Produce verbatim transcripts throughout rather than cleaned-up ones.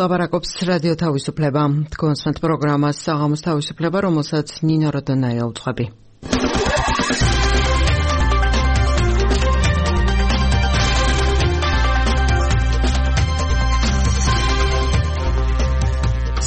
ლაპარაკობს რადიო თავისუფლება. კონსვენთ პროგრამას საღამოს თავისუფლება, რომელსაც ნინო როდონაია უძღვები.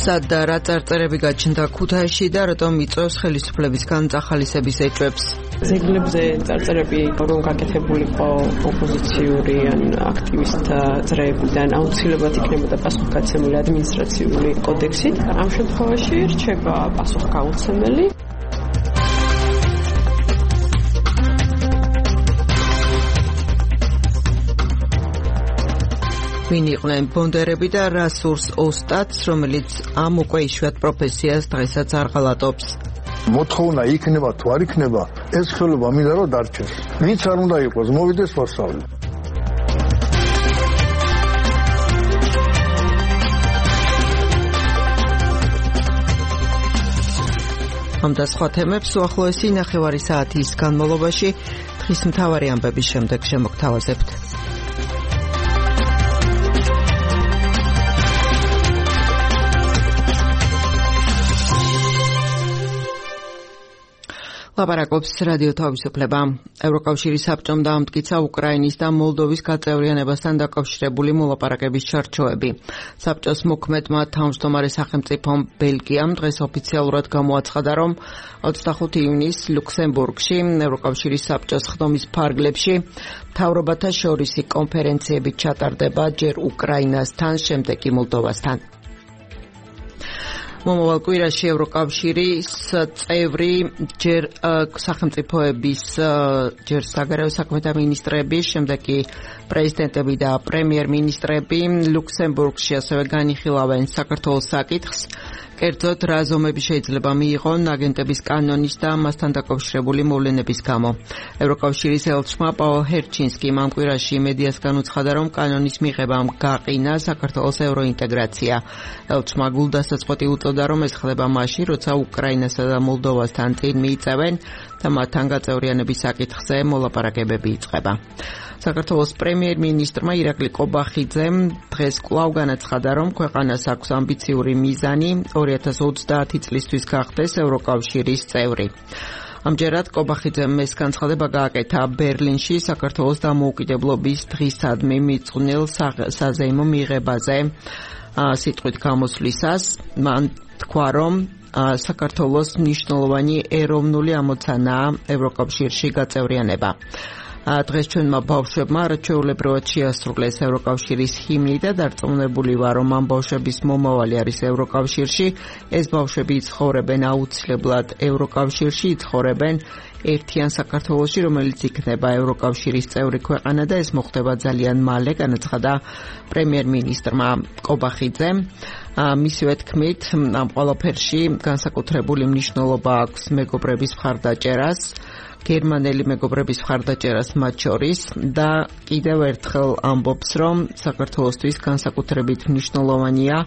სად და რა წარწერები გაჩნდა ქუთაისში და რატომ იწვევს ხელისუფლებისგან წახალისების ეჭვებს? ზეგლებზე წარწერები რომ გაკეთებულიყო ოპოზიციური ან აქტივისტთა წრეებიდან აუცილებლად იქნებოდა პასუხგაცემული ადმინისტრაციული კოდექსით. ამ შემთხვევაში რჩება პასუხგაუცემელი. ვინ იყვნენ ბონდერები და რა სურს ოსტატს, რომელიც ამ უკვე იშვიათ პროფესიას დღესაც არ ღალატობს? მოთხოვნა იქნება თუ არ იქნება, ეს ხელობა მინდა რომ დარჩეს. ვინც არ უნდა იყოს, მოვიდეს ვასწავლე. ამ და სხვა თემებს უახლოესი ნახევარი საათის განმავლობაში დღის მთავარი ამბების შემდეგ შემოგთავაზებთ. ლაპარაკობს რადიო თავისუფლება. ევროკავშირის საბჭომ დაამტკიცა უკრაინის და მოლდოვის გაწევრიანებასთან დაკავშირებული მოლაპარაკების ჩარჩოები. საბჭოს მოქმედმა თავმჯდომარე სახელმწიფომ ბელგიამ დღეს ოფიციალურად გამოაცხადა, რომ ოცდახუთი ივნისს ლუქსემბურგში ევროკავშირის საბჭოს ხდომის ფარგლებში მთავრობათა შორისი კონფერენციები ჩატარდება ჯერ უკრაინასთან, შემდეგ კი მოლდოვასთან. მომავალ კვირაში ევროკავშირის წევრი ჯერ სახელმწიფოების ჯერ საგარეო საქმეთა მინისტრები, შემდეგ კი პრეზიდენტები და პრემიერ-მინისტრები ლუქსემბურგში ასევე განიხილავენ საქართველოს საკითხს. კერძოდ, რა ზომები შეიძლება მიიღონ აგენტების კანონის და მასთან დაკავშირებული მოვლენების გამო. ევროკავშირის ელჩმა პაოლ ჰერჩინსკიმ ამ კვირაში მედიასგან უცხადა, რომ კანონის მიღებამ გაყინა საქართველოს ევროინტეგრაცია. ელჩმა გულდასაწყვეტი უწოდა, რომ ეს ხდება მაშინ, როცა უკრაინასა და მოლდოვასთან წინ მიიწევენ და მათთან გაწევრიანების საკითხზე მოლაპარაკებები იწყება. საქართველოს პრემიერ-მინისტრმა ირაკლი ყობახიძემ დღეს კვლავ განაცხადა, რომ ქვეყანას აქვს ამბიციური მიზანი ორი ათას ოცდაათი წლისთვის გახდეს ევროკავშირის წევრი. ამჯერად ყობახიძემ ეს განცხადება გააკეთა ბერლინში საქართველოს დამოუკიდებლობის დღისადმი მიწყვნილ საზეიმო მიღებაზე სიტყვით გამოსვლისას. მან თქვა, რომ საქართველოს მნიშვნელოვანი ეროვნული ამოცანაა ევროკავშირში გაწევრიანება. დღეს ჩვენმა ბავშვებმა არაჩვეულებრივად შეასრულეს ევროკავშირის ჰიმნი და დარწმუნებული ვარ, რომ ამ ბავშვების მომავალი არის ევროკავშირში. ეს ბავშვები იცხოვრებენ აუცილებლად ევროკავშირში, იცხოვრებენ ერთიან საქართველოში, რომელიც იქნება ევროკავშირის წევრი ქვეყანა და ეს მოხდება ძალიან მალე, განაცხადა პრემიერ-მინისტრმა ყობახიძემ. მისივე თქმით, ამ ყველაფერში განსაკუთრებული მნიშვნელობა აქვს მეგობრების მხარდაჭერას, გერმანელი მეგობრების მხარდაჭერას მათ შორის და კიდევ ერთხელ ამბობს, რომ საქართველოსთვის განსაკუთრებით მნიშვნელოვანია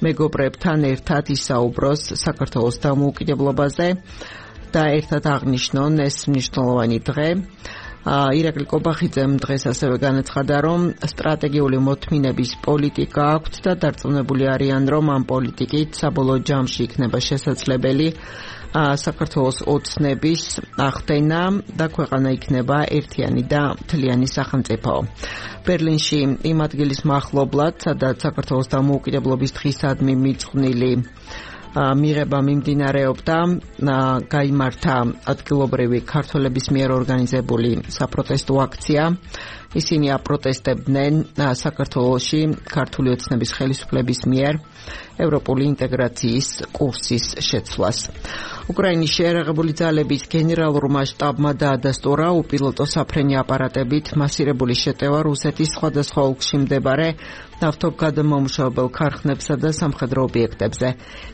მეგობრებთან ერთად ისაუბროს საქართველოს დამოუკიდებლობაზე და ერთად აღნიშნონ ეს მნიშვნელოვანი დღე. ირაკლი ყობახიძემ დღეს ასევე განაცხადა, რომ სტრატეგიული მოთმინების პოლიტიკა აქვთ და დარწმუნებული არიან, რომ ამ პოლიტიკით საბოლოო ჯამში იქნება შესაძლებელი საქართველოს ოცნების ახდენა და ქვეყანა იქნება ერთიანი და მთლიანი სახელმწიფო. ბერლინში იმ ადგილის მახლობლად, სადაც საქართველოს დამოუკიდებლობის დღისადმი მიწყვნილი მიღება მიმდინარეობდა, გაიმართა ადგილობრივი ქართველების მიერ ორგანიზებული საპროტესტო აქცია. ისინი აპროტესტებდნენ საქართველოში ქართული ოცნების ხელისუფლების მიერ ევროპული ინტეგრაციის კურსის შეცვლას. უკრაინის შეიარაღებული ძალების გენერალურმა შტაბმა დაადასტურა უპილოტო საფრენი აპარატებით მასირებული შეტევა რუსეთის სხვადასხვა ოლქში მდებარე ნავთობგადამამუშავებელ ქარხნებსა და სამხედრო ობიექტებზე.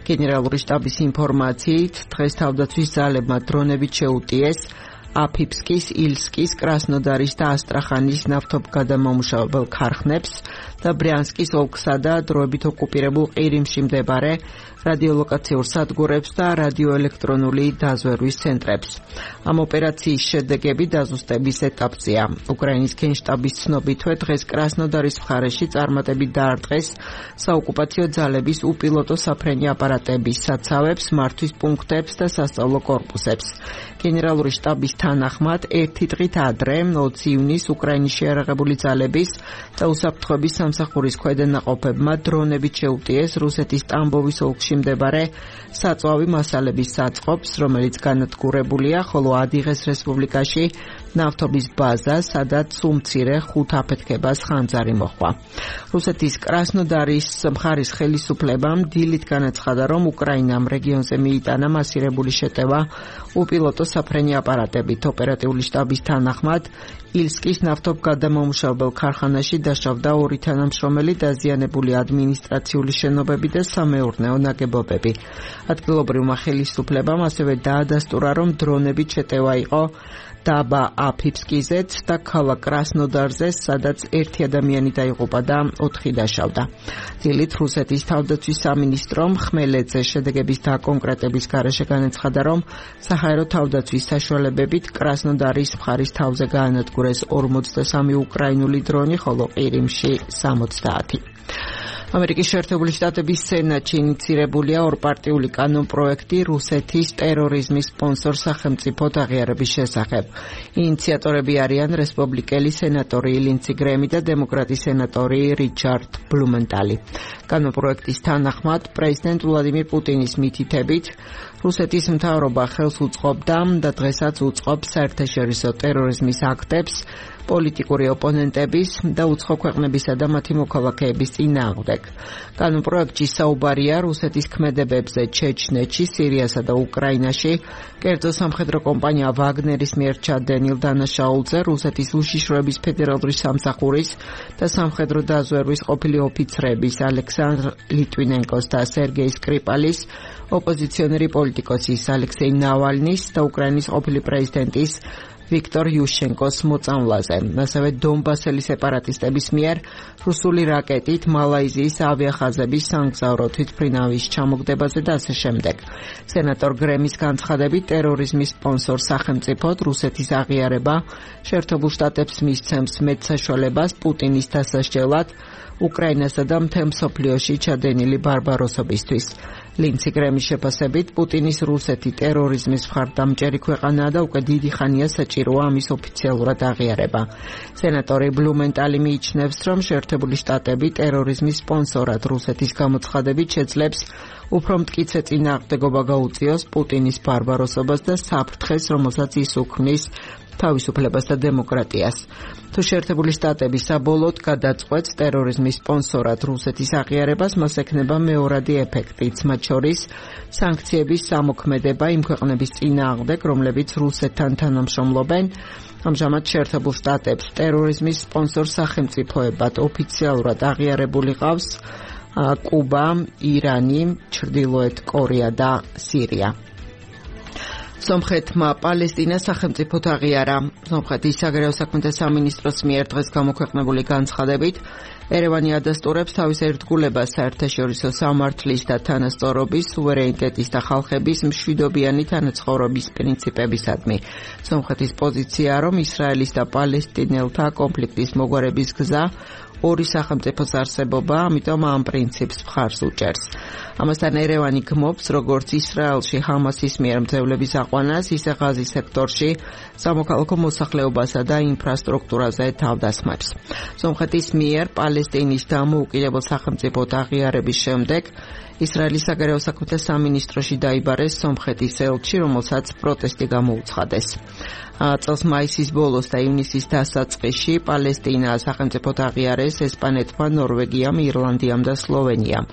გენერალური შტაბის ინფორმაციით, დღეს თავდაცვის ძალებმა დრონებით შეუტიეს აფიფსკის, ილსკის, კრასნოდარის და ასტრახანის ნავთობგადამამუშავებელ ქარხნებს და ბრიანსკის ოლქსა და დროებით ოკუპირებულ ყირიმში მდებარე რადიოლოკაციურ სადგურებს და რადიოელექტრონული დაზვერვის ცენტრებს. ამ ოპერაციის შედეგები დაზუსტების ეტაპზეა. უკრაინის გენშტაბის ცნობითვე დღეს კრასნოდარის მხარეში წარმატებით დაარტყეს საოკუპაციო ძალების უპილოტო საფრენი აპარატების საცავებს, მართვის პუნქტებს და სასწავლო კორპუსებს. გენერალური შტაბის თანახმად ერთი დღით ადრე, ოცი ივნისს უკრაინის შეიარაღებული ძალების და უსაფრთხოების სამსახურის ქვედანაყოფებმა დრონებით შეუტიეს რუსეთის ტამბოვის ოლქში მდებარე საწვავი მასალების საწყობს, რომელიც განადგურებულია, ხოლო ადიღეს რესპუბლიკაში ნავთობის ბაზა, სადაც უმცირე ხუთ აფეთქებას ხანძარი მოჰყვა. რუსეთის კრასნოდარის მხარის ხელისუფლებამ დილით განაცხადა, რომ უკრაინამ რეგიონზე მიიტანა მასირებული შეტევა უპილოტო საფრენი აპარატებით. ოპერატიული შტაბის თანახმად, ილსკის ნავთობგადამამუშავებელ ქარხანაში დაშავდა ორი თანამშრომელი, დაზიანებული ადმინისტრაციული შენობები და სამეურნეო ნაგებობები. ადგილობრივმა ხელისუფლებამ ასევე დაადასტურა, რომ დრონებით შეტევა იყო დაბა აფიფსკიზეც და ქალაქ კრასნოდარზე, სადაც ერთი ადამიანი დაიღუპა და ოთხი დაშავდა. დილით რუსეთის თავდაცვის სამინისტრომ ხმელეთზე შედეგების დაკონკრეტების გარეშე განაცხადა, რომ საჰაერო თავდაცვის საშუალებებით კრასნოდარის მხარის თავზე გაანადგურეს ორმოცდასამი უკრაინული დრონი, ხოლო ყირიმში სამოცდაათი. ამერიკის შეერთებული შტატების სენატში ინიცირებულია ორპარტიული კანონპროექტი რუსეთის ტერორიზმის სპონსორ სახელმწიფოდ აღიარების შესახებ. ინიციატორები არიან რესპუბლიკელი სენატორი ლინცი გრემი და დემოკრატი სენატორი რიჩარდ ბლუმენტალი. კანონპროექტის თანახმად, პრეზიდენტ ვლადიმირ პუტინის მითითებით, რუსეთის მთავრობა ხელს უწყობდა და დღესაც უწყობს საერთაშორისო ტერორიზმის აქტებს, პოლიტიკური ოპონენტების და უცხო ქვეყნებისა და მათი მოქალაქეების წინააღმდეგ. კანონპროექტში საუბარია რუსეთის ქმედებებზე ჩეჩნეთში, სირიასა და უკრაინაში, კერძო სამხედრო კომპანია ვაგნერის მიერ ჩადენილ დანაშაულზე, რუსეთის უშიშროების ფედერალური სამსახურის და სამხედრო დაზვერვის ყოფილი ოფიცრების ალექსანდრ ლიტვინენკოს და სერგეი სკრიპალის, ოპოზიციონერი პოლიტიკოსის ალექსეი ნავალნის და უკრაინის ყოფილი პრეზიდენტის ვიქტორ იუშენკოს მოწამვლაზე. ასევე დონბასელი სეპარატისტების მიერ რუსული რაკეტით მალაიზიის ავიახაზების სამგზავრო თვითმფრინავის ჩამოგდებაზე და ასე შემდეგ. სენატორ გრემის განცხადებით, ტერორიზმის სპონსორ სახელმწიფოდ რუსეთის აღიარება შეერთებულ შტატებს მისცემს მეტსაშუალებას პუტინის დასასჯელად უკრაინასა და მთელ მსოფლიოში ჩადენილი ბარბაროსობისთვის. ლინცი გრემის შეფასებით, პუტინის რუსეთი ტერორიზმის მხარდამჭერი ქვეყანაა და უკვე დიდი ხანია საჭიროა ამის ოფიციალურად აღიარება. სენატორი ბლუმენტალი მიიჩნევს, რომ შეერთებული შტატები ტერორიზმის სპონსორად რუსეთის გამოცხადებით შეძლებს უფრო მტკიცე წინააღმდეგობა გაუწიოს პუტინის ბარბაროსობას და საფრთხეს, რომელსაც ის უქმნის თავისუფლებას და დემოკრატიას. თუ შეერთებული შტატები საბოლოოდ გადაწყვეტს ტერორიზმის სპონსორად რუსეთის აღიარებას, მას ექნება მეორადი ეფექტიც, მათ შორის სანქციების სამოქმედება იმ ქვეყნების წინააღმდეგ, რომლებიც რუსეთთან თანამშრომლობენ. ამჟამად შეერთებულ შტატებს ტერორიზმის სპონსორ სახელმწიფოებად ოფიციალურად აღიარებული ყავს კუბა, ირანი, ჩრდილოეთ კორეა და სირია. სომხეთმა პალესტინა სახელმწიფოდ აღიარა. სომხეთის საგარეო საქმეთა სამინისტროს მიერ დღეს გამოქვეყნებული განცხადებით, ერევანი ადასტურებს თავის ერთგულებას საერთაშორისო სამართლის და თანასწორობის, სუვერენიტეტის და ხალხების მშვიდობიანი თანაცხოვრების პრინციპებისადმი. სომხეთის პოზიციაა, რომ ისრაელის და პალესტინელთა კონფლიქტის მოგვარების გზა ორი სახელმწიფოს არსებობა, ამიტომ ამ პრინციპს მხარს უჭერს. ამასთან ერევანი გმობს, როგორც ისრაელში ჰამასის მიერ მძევლების აყვანას, ისე ღაზის სექტორში სამოქალაქო მოსახლეობასა და ინფრასტრუქტურაზე თავდასხმებს. სომხეთის მიერ პალესტინის დამოუკიდებელ სახელმწიფოდ აღიარების შემდეგ ისრაელის საგარეო საქმეთა სამინისტროში დაიბარეს სომხეთის ელჩი, რომელსაც პროტესტი გამოუცხადეს. წელს მაისის ბოლოს და ივნისის დასაწყისში პალესტინა სახელმწიფოდ აღიარეს ესპანეთმა, ნორვეგიამ, ირლანდიამ და სლოვენიამ.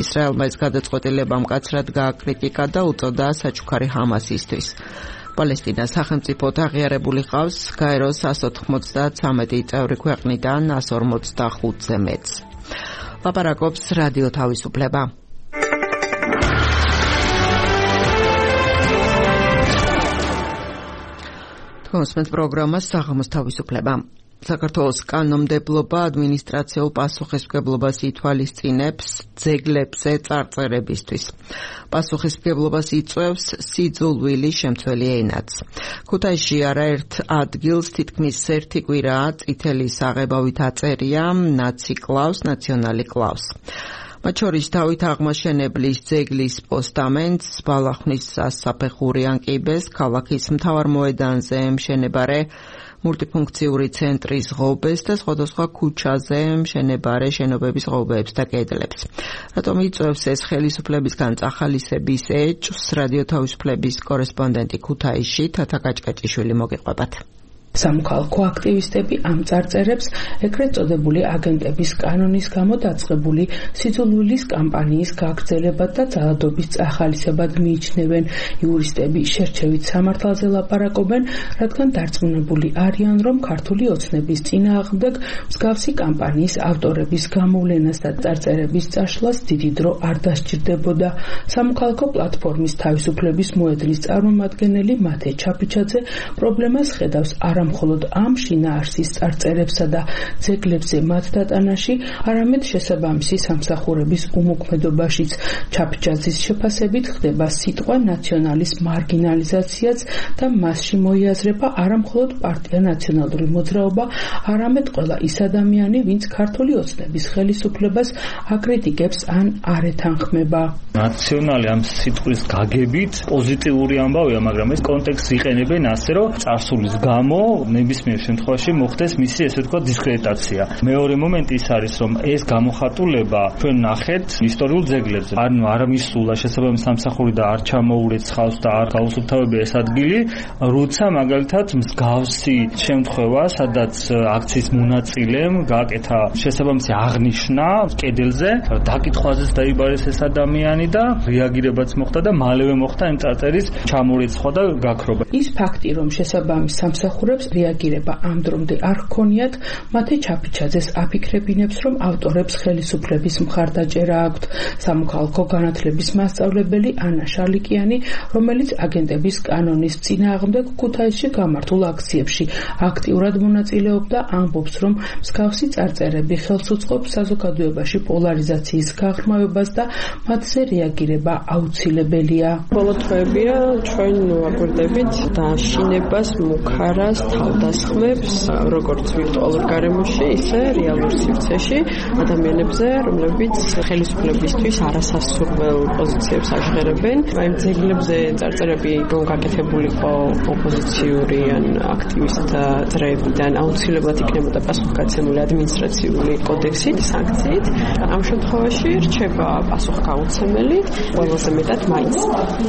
ისრაელმა ეს გადაწყვეტილება მკაცრად გააკრიტიკა და უწოდა საჩუქარი ჰამასისთვის. პალესტინა სახელმწიფოდ აღიარებული ყავს გაეროს εκατს ოთხმოცდათრამეტი წევრი ქვეყნიდან εκατს ორმოცდახუთზე მეტს. ლაპარაკობს რადიო თავისუფლება. მოსმენთ პროგრამას საღამოს თავისუფლება. საქართველოს კანონმდებლობა ადმინისტრაციულ პასუხისმგებლობას ითვალისწინებს ძეგლებზე წარწერებისთვის. პასუხისმგებლობას იწვევს სიძულვილი შემცველი ენაც. ქუთაისში არაერთ ადგილს თითქმის ერთი კვირაა წითელი საღებავით აწერია ნაცი კლავს, ნაციონალი კლავს. მათ შორის დავით აღმაშენებლის ძეგლის პოსტამენტს, ბალახნის სასაფეხური ანკიბეს, ქალაქის მთავარ მოედანზე მშენებარე მულტიფუნქციური ცენტრის ღობეს და სხვადასხვა ქუჩაზე მშენებარე შენობების ღობეებს და კედლებს. რატომ იწვევს ეს ხელისუფლებისგან წახალისების ეჭვს, რადიო თავისუფლების კორესპონდენტი ქუთაისში თათა კაჭკაჭიშვილი მოგიყვებათ. სამოქალაქო აქტივისტები ამ წარწერებს ეგრეთ წოდებული აგენტების კანონის გამო დაწყებული სიძულვილის კამპანიის გაგრძელებად და ძალადობის წახალისებად მიიჩნევენ. იურისტები შერჩევით სამართალზე ლაპარაკობენ, რადგან დარწმუნებული არიან, რომ ქართული ოცნების წინააღმდეგ მსგავსი კამპანიის ავტორების გამოვლენას და წარწერების წაშლას დიდი დრო არ დასჭირდებოდა. სამოქალაქო პლატფორმის თავისუფლების მოედნის წარმომადგენელი მათე ჩაფიჩაძე პრობლემას ხედავს არა მხოლოდ ამ შინაარსის წარწერებსა და ძეგლებზე მათ დატანაში, არამედ შესაბამისი სამსახურების უმოქმედობაშიც. ჩაფიჩაძის შეფასებით ხდება სიტყვა ნაციონალის მარგინალიზაციაც და მასში მოიაზრება არა მხოლოდ პარტია ნაციონალური მოძრაობა, არამედ ყველა ის ადამიანი, ვინც ქართული ოცნების ხელისუფლებას აკრიტიკებს ან არ ეთანხმება. ნაციონალი ამ სიტყვის გაგებით პოზიტიური ამბავია, მაგრამ ეს კონტექსტს იყენებენ ასე, რომ წარსულის გამო ნებისმიერ შემთხვევაში მოხდეს მისი ესე ვთქვათ დისკრედიტაცია. მეორე მომენტი ის არის, რომ ეს გამოხატულება ჩვენ ნახეთ ისტორიულ ძეგლებზე. ანუ არ მისულა შესაბამის სამსახური და არ ჩამოურეცხავს და არ გაუსუფთავებია ეს ადგილი, როცა მაგალითად მსგავსი შემთხვევა, სადაც აქციის მონაწილემ გააკეთა შესაბამისი აღნიშვნა კედელზე, დაკითხვაზეც დაიბარეს ეს ადამიანი და რეაგირებაც მოხდა და მალევე მოხდა იმ წარწერის ჩამორიცხვა და გაქრობა. ის ფაქტი, რომ შესაბამის სამსახურებს რეაგირება ამ დრომდე არ ჰქონიათ, მათე ჩაფიჩაძეს აფიქრებინებს, რომ ავტორებს ხელისუფლების მხარდაჭერა აქვთ. სამოქალაქო განათლების მასწავლებელი ანა შალიკიანი, რომელიც აგენტების კანონის წინააღმდეგ ქუთაისში გამართულ აქციებში აქტიურად მონაწილეობდა, ამბობს, რომ მსგავსი წარწერები ხელს უწყობს საზოგადოებაში პოლარიზაციის გაღრმავებას და მათზე რეაგირება აუცილებელია. ბოლო თვეებია ჩვენ ვაკვირდებით დაშინებას, მუქარას, თავდასხმებს, როგორც ვირტუალურ გარემოში, ისე რეალურ სივრცეში ადამიანებზე, რომლებიც ხელისუფლებისთვის არასასურველ პოზიციებს აჟღერებენ. აი ძეგლებზე წარწერები რომ გაკეთებულიყო ოპოზიციური ან აქტივისტთა წრეებიდან, აუცილებლად იქნებოდა პასუხგაცემული ადმინისტრაციული კოდექსით, სანქციით. ამ შემთხვევაში რჩება პასუხგაუცემელი, ყველაზე მეტად მაინც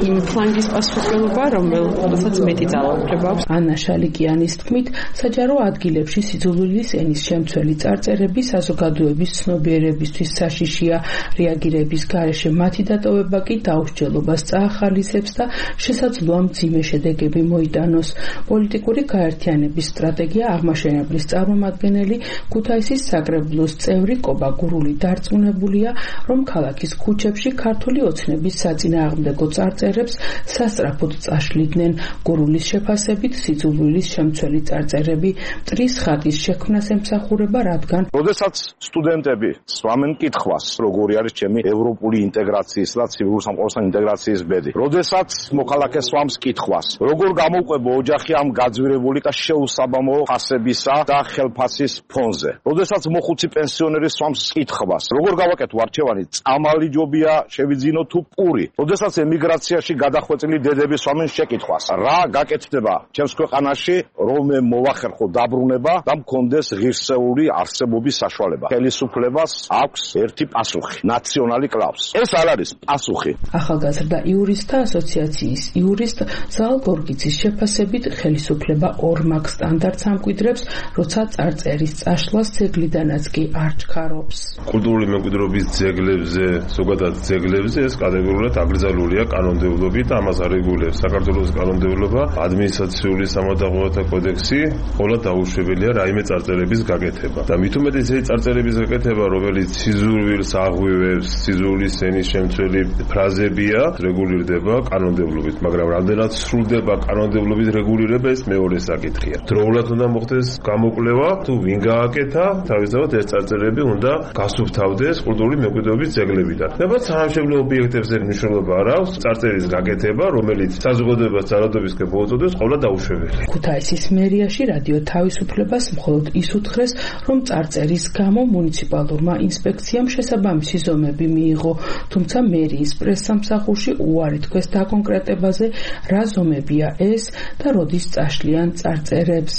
იმ ფლანგის პასუხისმგებლობა, რომელსაც მეტი ძალაუფლება აქვს. ანა შალიკიანის თქმით, საჯარო ადგილებში სიძულვილის ენის შემცველი წარწერები საზოგადოების ცნობიერებისთვის საშიშია. რეაგირების გარეშე მათი დატოვება კი დაუსჯელობას წაახალისებს და შესაძლოა მძიმე შედეგები მოიტანოს. პოლიტიკური გაერთიანების სტრატეგია აღმაშენებლის წარმომადგენელი ქუთაისის საკრებულოს წევრი კობა გურული დარწმუნებულია, რომ ქალაქის ქუჩებში ქართული ოცნების საწინააღმდეგო წარწერებს სასწრაფოდ წაშლიდნენ. გურულის შეფასებით სიძულვილის შემცველი წარწერები მტრის ხატის შექმნას ემსახურება, რადგან როდესაც სტუდენტები სვამენ კითხვას, როგორი არის ჩემი ევროპული ინტეგრაციის და ცივil სამყაროსთან ინტეგრაციის ბედი. როდესაც მოქალაქე სვამს კითხვას, როგორ გამოვყვება ოჯახი ამ გაძვირებული და შეუსაბამო ფასებისა და ხელფასის ფონზე. როდესაც მოხუცი პენსიონერი სვამს კითხვას, როგორ გავაკეთო არჩევანი, წამალი ჯობია, შევიძინო თუ პური. როდესაც ემიგრაციაში გადახვეწილი დედები სვამენ შეკითხვას, რა გაკეთდება ჩემს ქვეყანაში, რომ მოვახერხო დაბრუნება და მქონდეს ღირსეული არსებობის საშუალება. ხელისუფლებას აქვს ერთი პასუხი, ნაციონალი კლავს. ეს არ არის პასუხი. ახალგაზრდა იურისტთა ასოციაციის იურისტ ზალ გორგიცის შეფასებით ხელისუფლება ორ მაგ სტანდარტს ამკვიდრებს, როცა წარწერის წაშლას ძეგლიდანაც კი არ ჩქარობს. კულტურული მემკვიდრეობის ძეგლებზე, ზოგადად ძეგლებზე ეს კატეგორიულად აკრძალულია კანონმდებლობით და ამას არეგულირებს საქართველოს კანონმდებლობა, ადმინისტრაციული სამართალდაღოთა კოდექსი ყოლა დაუშვებელია რაიმე წარწერების გაკეთება და მით უმეტეს ეს წარწერების გაკეთება რომელიც სიზურვილს აღვივებს სიზურვილის ენის შემცველი ფრაზებია რეგულირდება კანონმდებლობით მაგრამ რამდენად სრულდება კანონმდებლობის რეგულირება ეს მეორე საკითხია დროულად უნდა მოხდეს გამოკვლევა თუ ვინ გააკეთა თავისთავად ეს წარწერები უნდა გასუფთავდეს კულტურული მემკვიდრეობის ძეგლებიდან და სამშობლო ობიექტებზე მნიშვნელობა არ აქვს წარწერის გაკეთება რომელიც საზოგადოებას ძალადობისკენ მოუწოდებს ყოლა დაუშვებელია ქუთაისის მერიაში რადიო თავისუფლებას მხოლოდ ის უთხრეს რომ წარწერის გამო მუნიციპალურმა ინსპექციამ შესაბამისი ზომები მიიღო თუმცა მერიის პრესსამსახურში უარი თქვეს დაკონკრეტებაზე რა ზომებია ეს და როდის წაშლიან წარწერებს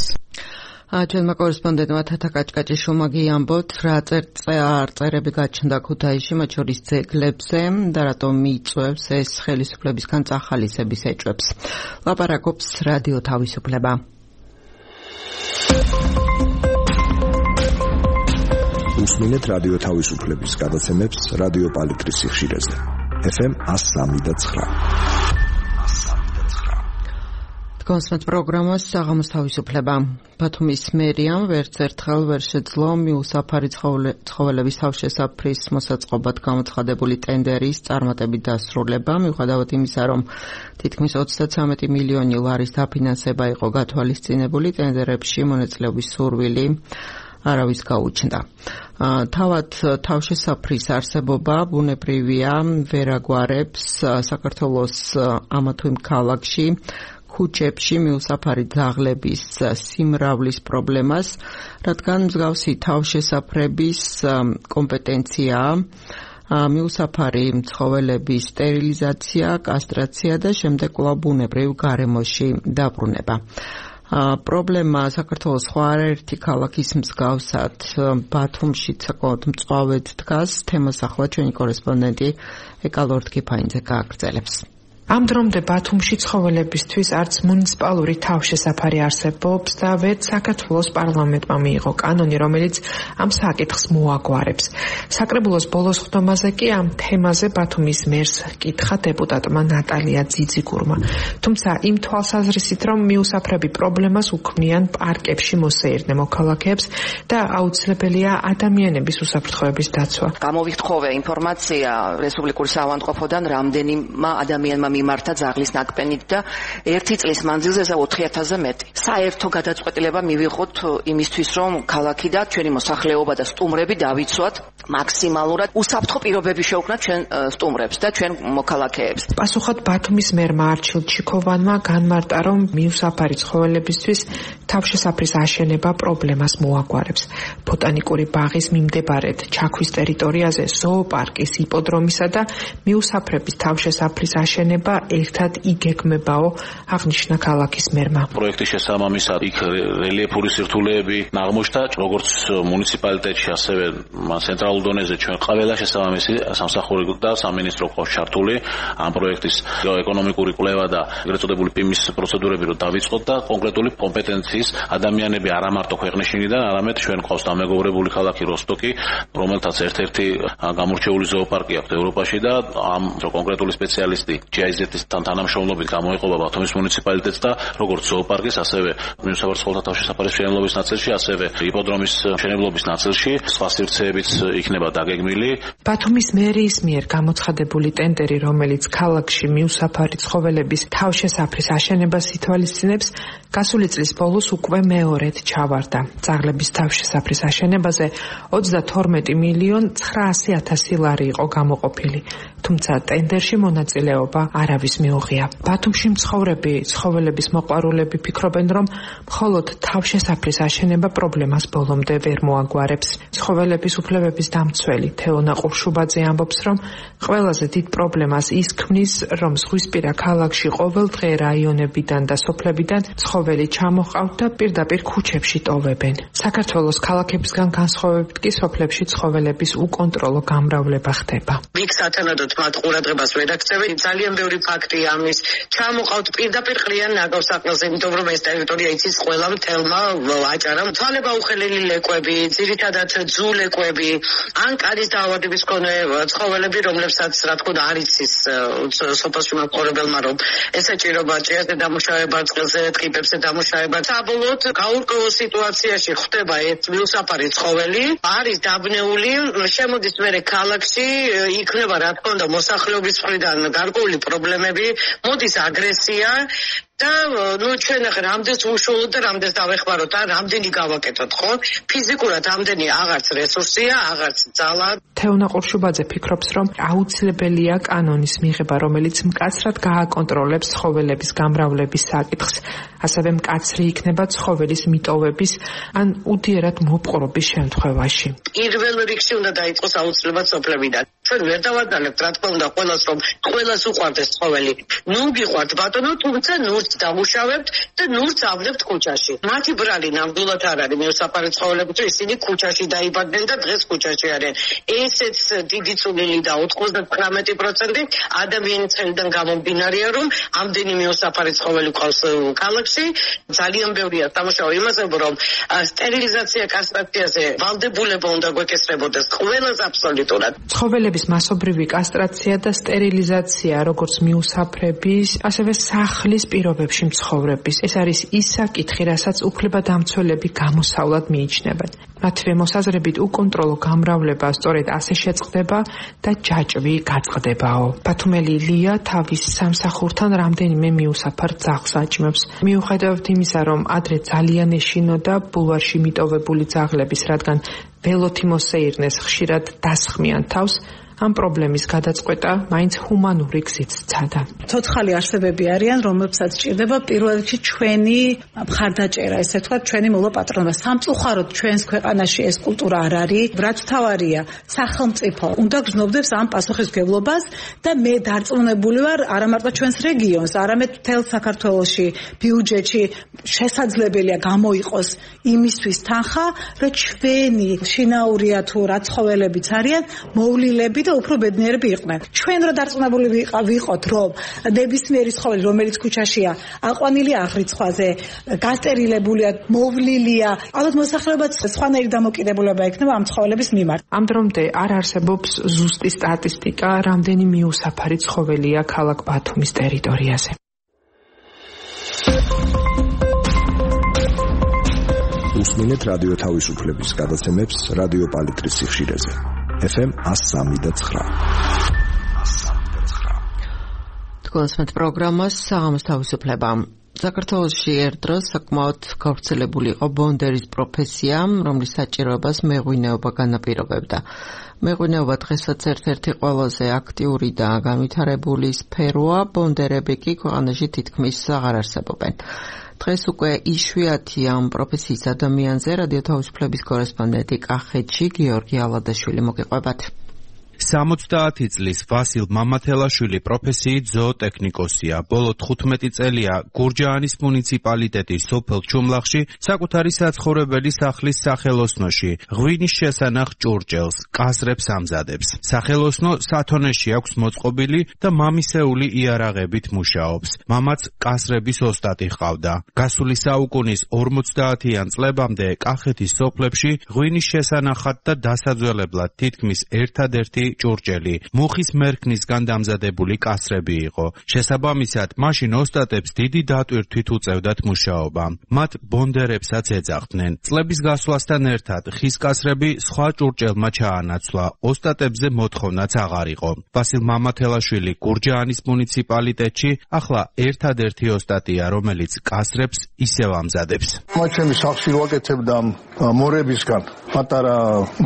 ჩვენმა კორესპონდენტმა თათა კაჭკაჭიშვილმა გიამბოთ რა წარწერები გაჩნდა ქუთაისში მათ შორის ძეგლებზე და რატომ მიიწვევს ეს ხელისუფლებისგან წახალისების ეჭვებს ლაპარაკობს რადიო თავისუფლება უსმინეთ რადიო თავისუფლების გადაცემებს რადიო პალიტრის სიხშირეზე ეფ ემ one oh three point nine კონსტანტ პროგრამას საღამოს თავისუფლება ბათუმის მერიამ ვერც ერთხელ ვერ შეძლო მიუსაფარი ცხოველების თავშესაფრის მოსაწყობად გამოცხადებული ტენდერის წარმატებით დასრულება მიუხედავად იმისა რომ თითქმის ოცდათრამეტი მილიონი ლარის დაფინანსება იყო გათვალისწინებული ტენდერებში მონაწილეობის სურვილი არავის გაუჩნდა. თავად თავშესაფრის არსებობა ბუნებრივია ვერ აგვარებს საქართველოს ამა თუ იმ ქალაქში ქუჩებში მიუსაფარი ძაღლების სიმრავლის პრობლემას, რადგან მსგავსი თავშესაფრების კომპეტენციაა მიუსაფარი ცხოველების სტერილიზაცია, კასტრაცია და შემდეგ კვლავ ბუნებრივ გარემოში დაბრუნება. პრობლემა საქართველოს სხვა არაერთი ქალაქის მსგავსად ბათუმშიც საკმაოდ მწვავედ დგას. თემას ახლა ჩვენი კორესპონდენტი ეკალორდ კიფაინძე გააგრძელებს. ამ დრომდე ბათუმში ცხოველებისთვის არც მუნიციპალური თავშესაფარი არსებობს და ვერც საქართველოს პარლამენტმა მიიღო კანონი, რომელიც ამ საკითხს მოაგვარებს. საკრებულოს ბოლოს ხდომაზე კი ამ თემაზე ბათუმის მერს კითხა დეპუტატმა ნატალია ძიძიგურმა. თუმცა იმ თვალსაზრისით, რომ მიუსაფრები პრობლემას უქმნიან პარკებში მოსეირნე მოქალაქეებს და აუცილებელია ადამიანების უსაფრთხოების დაცვა. გამოვიხთხოვე ინფორმაცია რესპუბლიკური საავადმყოფოდან რამდენიმე ადამიანმა მიმართა ძაღლის ნაკბენით და ერთი წლის მანძილზე ოთხი ათასზე მეტი. საერთო გადაწყვეტილება მივიღოთ იმისთვის, რომ ქალაქი და ჩვენი მოსახლეობა და სტუმრები დავიცვათ მაქსიმალურად უსაფრთხო პირობები შევქმნათ ჩვენ სტუმრებს და ჩვენ მოქალაქეებს. პასუხად ბათუმის მერმა არჩილ ჩიქოვანმა განმარტა, რომ მიუსაფარი ცხოველებისთვის თავშესაფრის აშენება პრობლემას მოაგვარებს. ბოტანიკური ბაღის მიმდებარედ ჩაქვის ტერიტორიაზე ზოოპარკის, იპოდრომისა და მიუსაფრების თავშესაფრის აშენება ერთად იგეგმებაო, აღნიშნა ქალაქის მერმა. პროექტის შესაბამისად იქ რელიეფური სირთულეები აღმოჩნდა, როგორც მუნიციპალიტეტში, ასევე ცენტრალურ დონეზე ჩვენ ყველა შესაბამისი სამსახური და სამინისტრო ყავს ჩართული ამ პროექტის ეკონომიკური კვლევა და ეგრეთ წოდებული პიმის პროცედურები რო დავიწყოთ და კონკრეტული კომპეტენციის ადამიანები არა მარტო ქვეყნის შინიდან, არამედ ჩვენ ყავს დამეგობრებული ქალაქი როსტოკი, რომელთაც ერთ-ერთი გამორჩეული ზოოპარკი აქვს ევროპაში და ამ კონკრეტული სპეციალისტი ჯი აი ზეტისთან თანამშრომლობით გამოეყობა ბათუმის მუნიციპალიტეტს და როგორც ზოოპარკის, ასევე მიუსაფარ ცხოველთა თავშესაფრის მშენებლობის ნაწილში, ასევე იპოდრომის მშენებლობის ნაწილში სხვა სივრცეებიც იქნება დაგეგმილი. ბათუმის მერიის მიერ გამოცხადებული ტენდერი, რომელიც ქალაქში მიუსაფარი ცხოველების თავშესაფრის აშენებას ითვალისწინებს, გასული წლის ბოლოს უკვე მეორედ ჩავარდა. ძაღლების თავშესაფრის აშენებაზე ოცდათორმეტი მილიონი ცხრაასი ათასი ლარი იყო გამოყოფილი. თუმცა ტენდერში მონაწილეობა არავის მიუღია. ბათუმში მცხოვრები ცხოველების მოყვარულები ფიქრობენ, რომ მხოლოდ თავშესაფრის აშენება პრობლემას ბოლომდე ვერ მოაგვარებს. ცხოველების უფლებების დამცველი თეონა ყურშუბაძე ამბობს, რომ ყველაზე დიდ პრობლემას ის ქმნის, რომ ზღვისპირა ქალაქში ყოველდღე რაიონებიდან და სოფლებიდან ცხოველი ჩამოყავთ და პირდაპირ ქუჩებში ტოვებენ. საქართველოს ქალაქებისგან განსხვავებით კი სოფლებში ცხოველების უკონტროლო გამრავლება ხდება. იქ სათანადოდ მათ ყურადღებას ვერ აქცევენ. ძალიან ბევრი ფაქტია ამის. ჩამოყავთ პირდაპირ ყრიან ნაგავსაყრელზე, იმიტომ რომ ეს ტერიტორია იცის ყველა მთელმა აჭარამ. თვალება უხელელი ლეკვები, ძირითადად ძულეკვები, ან კანის დაავადების მქონე ცხოველები, რომლებსაც რა თქმა უნდა არის ის სოფელში მოპყრობელმა, რომ ესაჭიროება ჭიაზე დამუშავება, წყალზე ტყიპებს პროცესებზე დამუშავება. საბოლოოდ გაურკვეველ სიტუაციაში ხდება ერთ მიუსაფარი ცხოველი, არის დაბნეული, შემოდის მერე ქალაქში, იქნება რა თქმა უნდა მოსახლეობის მხრიდან გარკვეული პრობლემები, მოდის აგრესია და ნუ ჩვენ ახლა რამდენს უშუალოდ და რამდენს დავეხმაროთ და რამდენი გავაკეთოთ, ხო? ფიზიკურად რამდენი აღარც რესურსია, აღარც ძალა. თეონა ყურშუბაძე ფიქრობს, რომ აუცილებელია კანონის მიღება, რომელიც მკაცრად გააკონტროლებს ცხოველების გამრავლების საკითხს, ასევე მკაცრი იქნება ცხოველის მიტოვების ან უდიერად მოპყრობის შემთხვევაში. პირველ რიგში უნდა დაიწყოს აუცილებლად სოფლებიდან. ჩვენ ვერ დავადანებთ, რა თქმა უნდა, ყველას რომ ყველას უყვარდეს ცხოველი. ნუ გიყვართ ბატონო, თუმცა ნურს დამუშავებთ და ნურს ავნებთ ქუჩაში. მათი ბრალი ნამდვილად არ არის მიუსაფარი ცხოველები, თუ ისინი ქუჩაში დაიბადნენ და დღეს ქუჩაში არიან. ესეც დიდი წვლილი და ოცდათხმეტი პროცენტი ადამიანის ხელიდან გამომდინარეა, რომ ამდენი მიუსაფარი ცხოველი ყავს ქალაქში. ძალიან ბევრია დამუშავება იმაზე, რომ სტერილიზაცია კასტრაციაზე ვალდებულება უნდა გვეკისრებოდეს ყველას აბსოლუტურად. ცხოველების მასობრივი კასტრაცია და სტერილიზაცია, როგორც მიუსაფრების, ასევე სახლის პირობებში მცხოვრების. ეს არის ის საკითხი, რასაც უფლებადამცველები გამოსავლად მიიჩნევენ. მათივე მოსაზრებით უკონტროლო გამრავლება სწორედ ასე შეწყდება და ჯაჭვი გაწყდებაო. ბათუმელი ლია თავის სამსახურთან რამდენიმე მიუსაფარ ძაღლს აჭმევს. მიუხედავად იმისა, რომ ადრე ძალიან ეშინოდა ბულვარში მიტოვებული ძაღლების, რადგან ველოთი მოსეირნეს ხშირად დასხმიან თავს, ამ პრობლემის გადაწყვეტა მაინც ჰუმანური გზით სცადა. ცოცხალი არსებები არიან, რომლებსაც ჭირდება პირველ რიგში ჩვენი მხარდაჭერა, ესე ვთქვათ, ჩვენი მოლაპატრონება. სამწუხაროდ ჩვენს ქვეყანაში ეს კულტურა არ არის. რაც თავარია, სახელმწიფო უნდა გრძნობდეს ამ პასუხისმგებლობას და მე დარწმუნებული ვარ, არა მარტო ჩვენს რეგიონს, არამედ მთელ საქართველოში ბიუჯეტში შესაძლებელია გამოიყოს იმისთვის თანხა, რომ ჩვენი შინაურია თუ რა ცხოველებიც არიან, მოვლილები და უფრო ბედნიერები იყვნენ. ჩვენ რო დარწმუნებული ვიყოთ, რომ ნებისმიერი ცხოველი, რომელიც ქუჩაშია, აყვანილი აღრიცხვაზე, გასტერილებულია, მოვლილია, ალბათ მოსახლეობაც სხვანაირი დამოკიდებულება ექნება ამ ცხოველების მიმართ. ამ დრომდე არ არსებობს ზუსტი სტატისტიკა, რამდენი მიუსაფარი ცხოველია ქალაქ ბათუმის ტერიტორიაზე. უსმინეთ რადიო თავისუფლების გადაცემებს რადიო პალიტრის სიხშირეზე. ეფ ემ one oh three point nine. თქვენს პროგრამას საღამოს თავისუფლება. საქართველოში ერთდროს საკმაოდ გავრცელებული იყო ბონდერის პროფესია, რომლის საჭიროებას მეღვინეობა განაპირობებდა. მეღვინეობა დღესაც ერთ-ერთი ყველაზე აქტიური და განვითარებული სფეროა, ბონდერები კი ქვეყანაში თითქმის აღარ არსებობენ. დღეს უკვე იშვიათია ამ პროფესიის ადამიანზე რადიო თავისუფლების კორესპონდენტი კახეთში გიორგი ალადაშვილი მოგიყვებათ. სამოცდაათი წლის ვასილ მამათელაშვილი პროფესიით ზოოტექნიკოსია. ბოლო თხუთმეტი წელია გურჯაანის მუნიციპალიტეტის სოფელ ჩუმლახში საკუთარი საცხოვრებელი სახლის სახელოსნოში ღვინის შესანახ ჭურჭელს, კასრებს ამზადებს. სახელოსნო სათონეში აქვს მოწყობილი და მამისეული იარაღებით მუშაობს. მამაც კასრების ოსტატი ჰყავდა. გასული საუკუნის ორმოცდაათიან წლებამდე კახეთის სოფლებში ღვინის შესანახად და დასაძველებლად თითქმის ერთადერთი ჭურჭელი მუხის მერქნისგან დამზადებული კასრები იყო. შესაბამისად, მაშინ ოსტატებს დიდი დატვირთვით უწევდათ მუშაობა. მათ ბონდერებსაც ეძახდნენ. წლების გასვლასთან ერთად ხის კასრები სხვა ჭურჭელმა ჩაანაცვლა. ოსტატებზე მოთხოვნაც აღარ იყო. ვასილ მამათელაშვილი გურჯაანის მუნიციპალიტეტში ახლა ერთადერთი ოსტატია, რომელიც კასრებს ისევ ამზადებს. მათ ჩემი სახლში ვაკეთებდა მორებისგან პატარა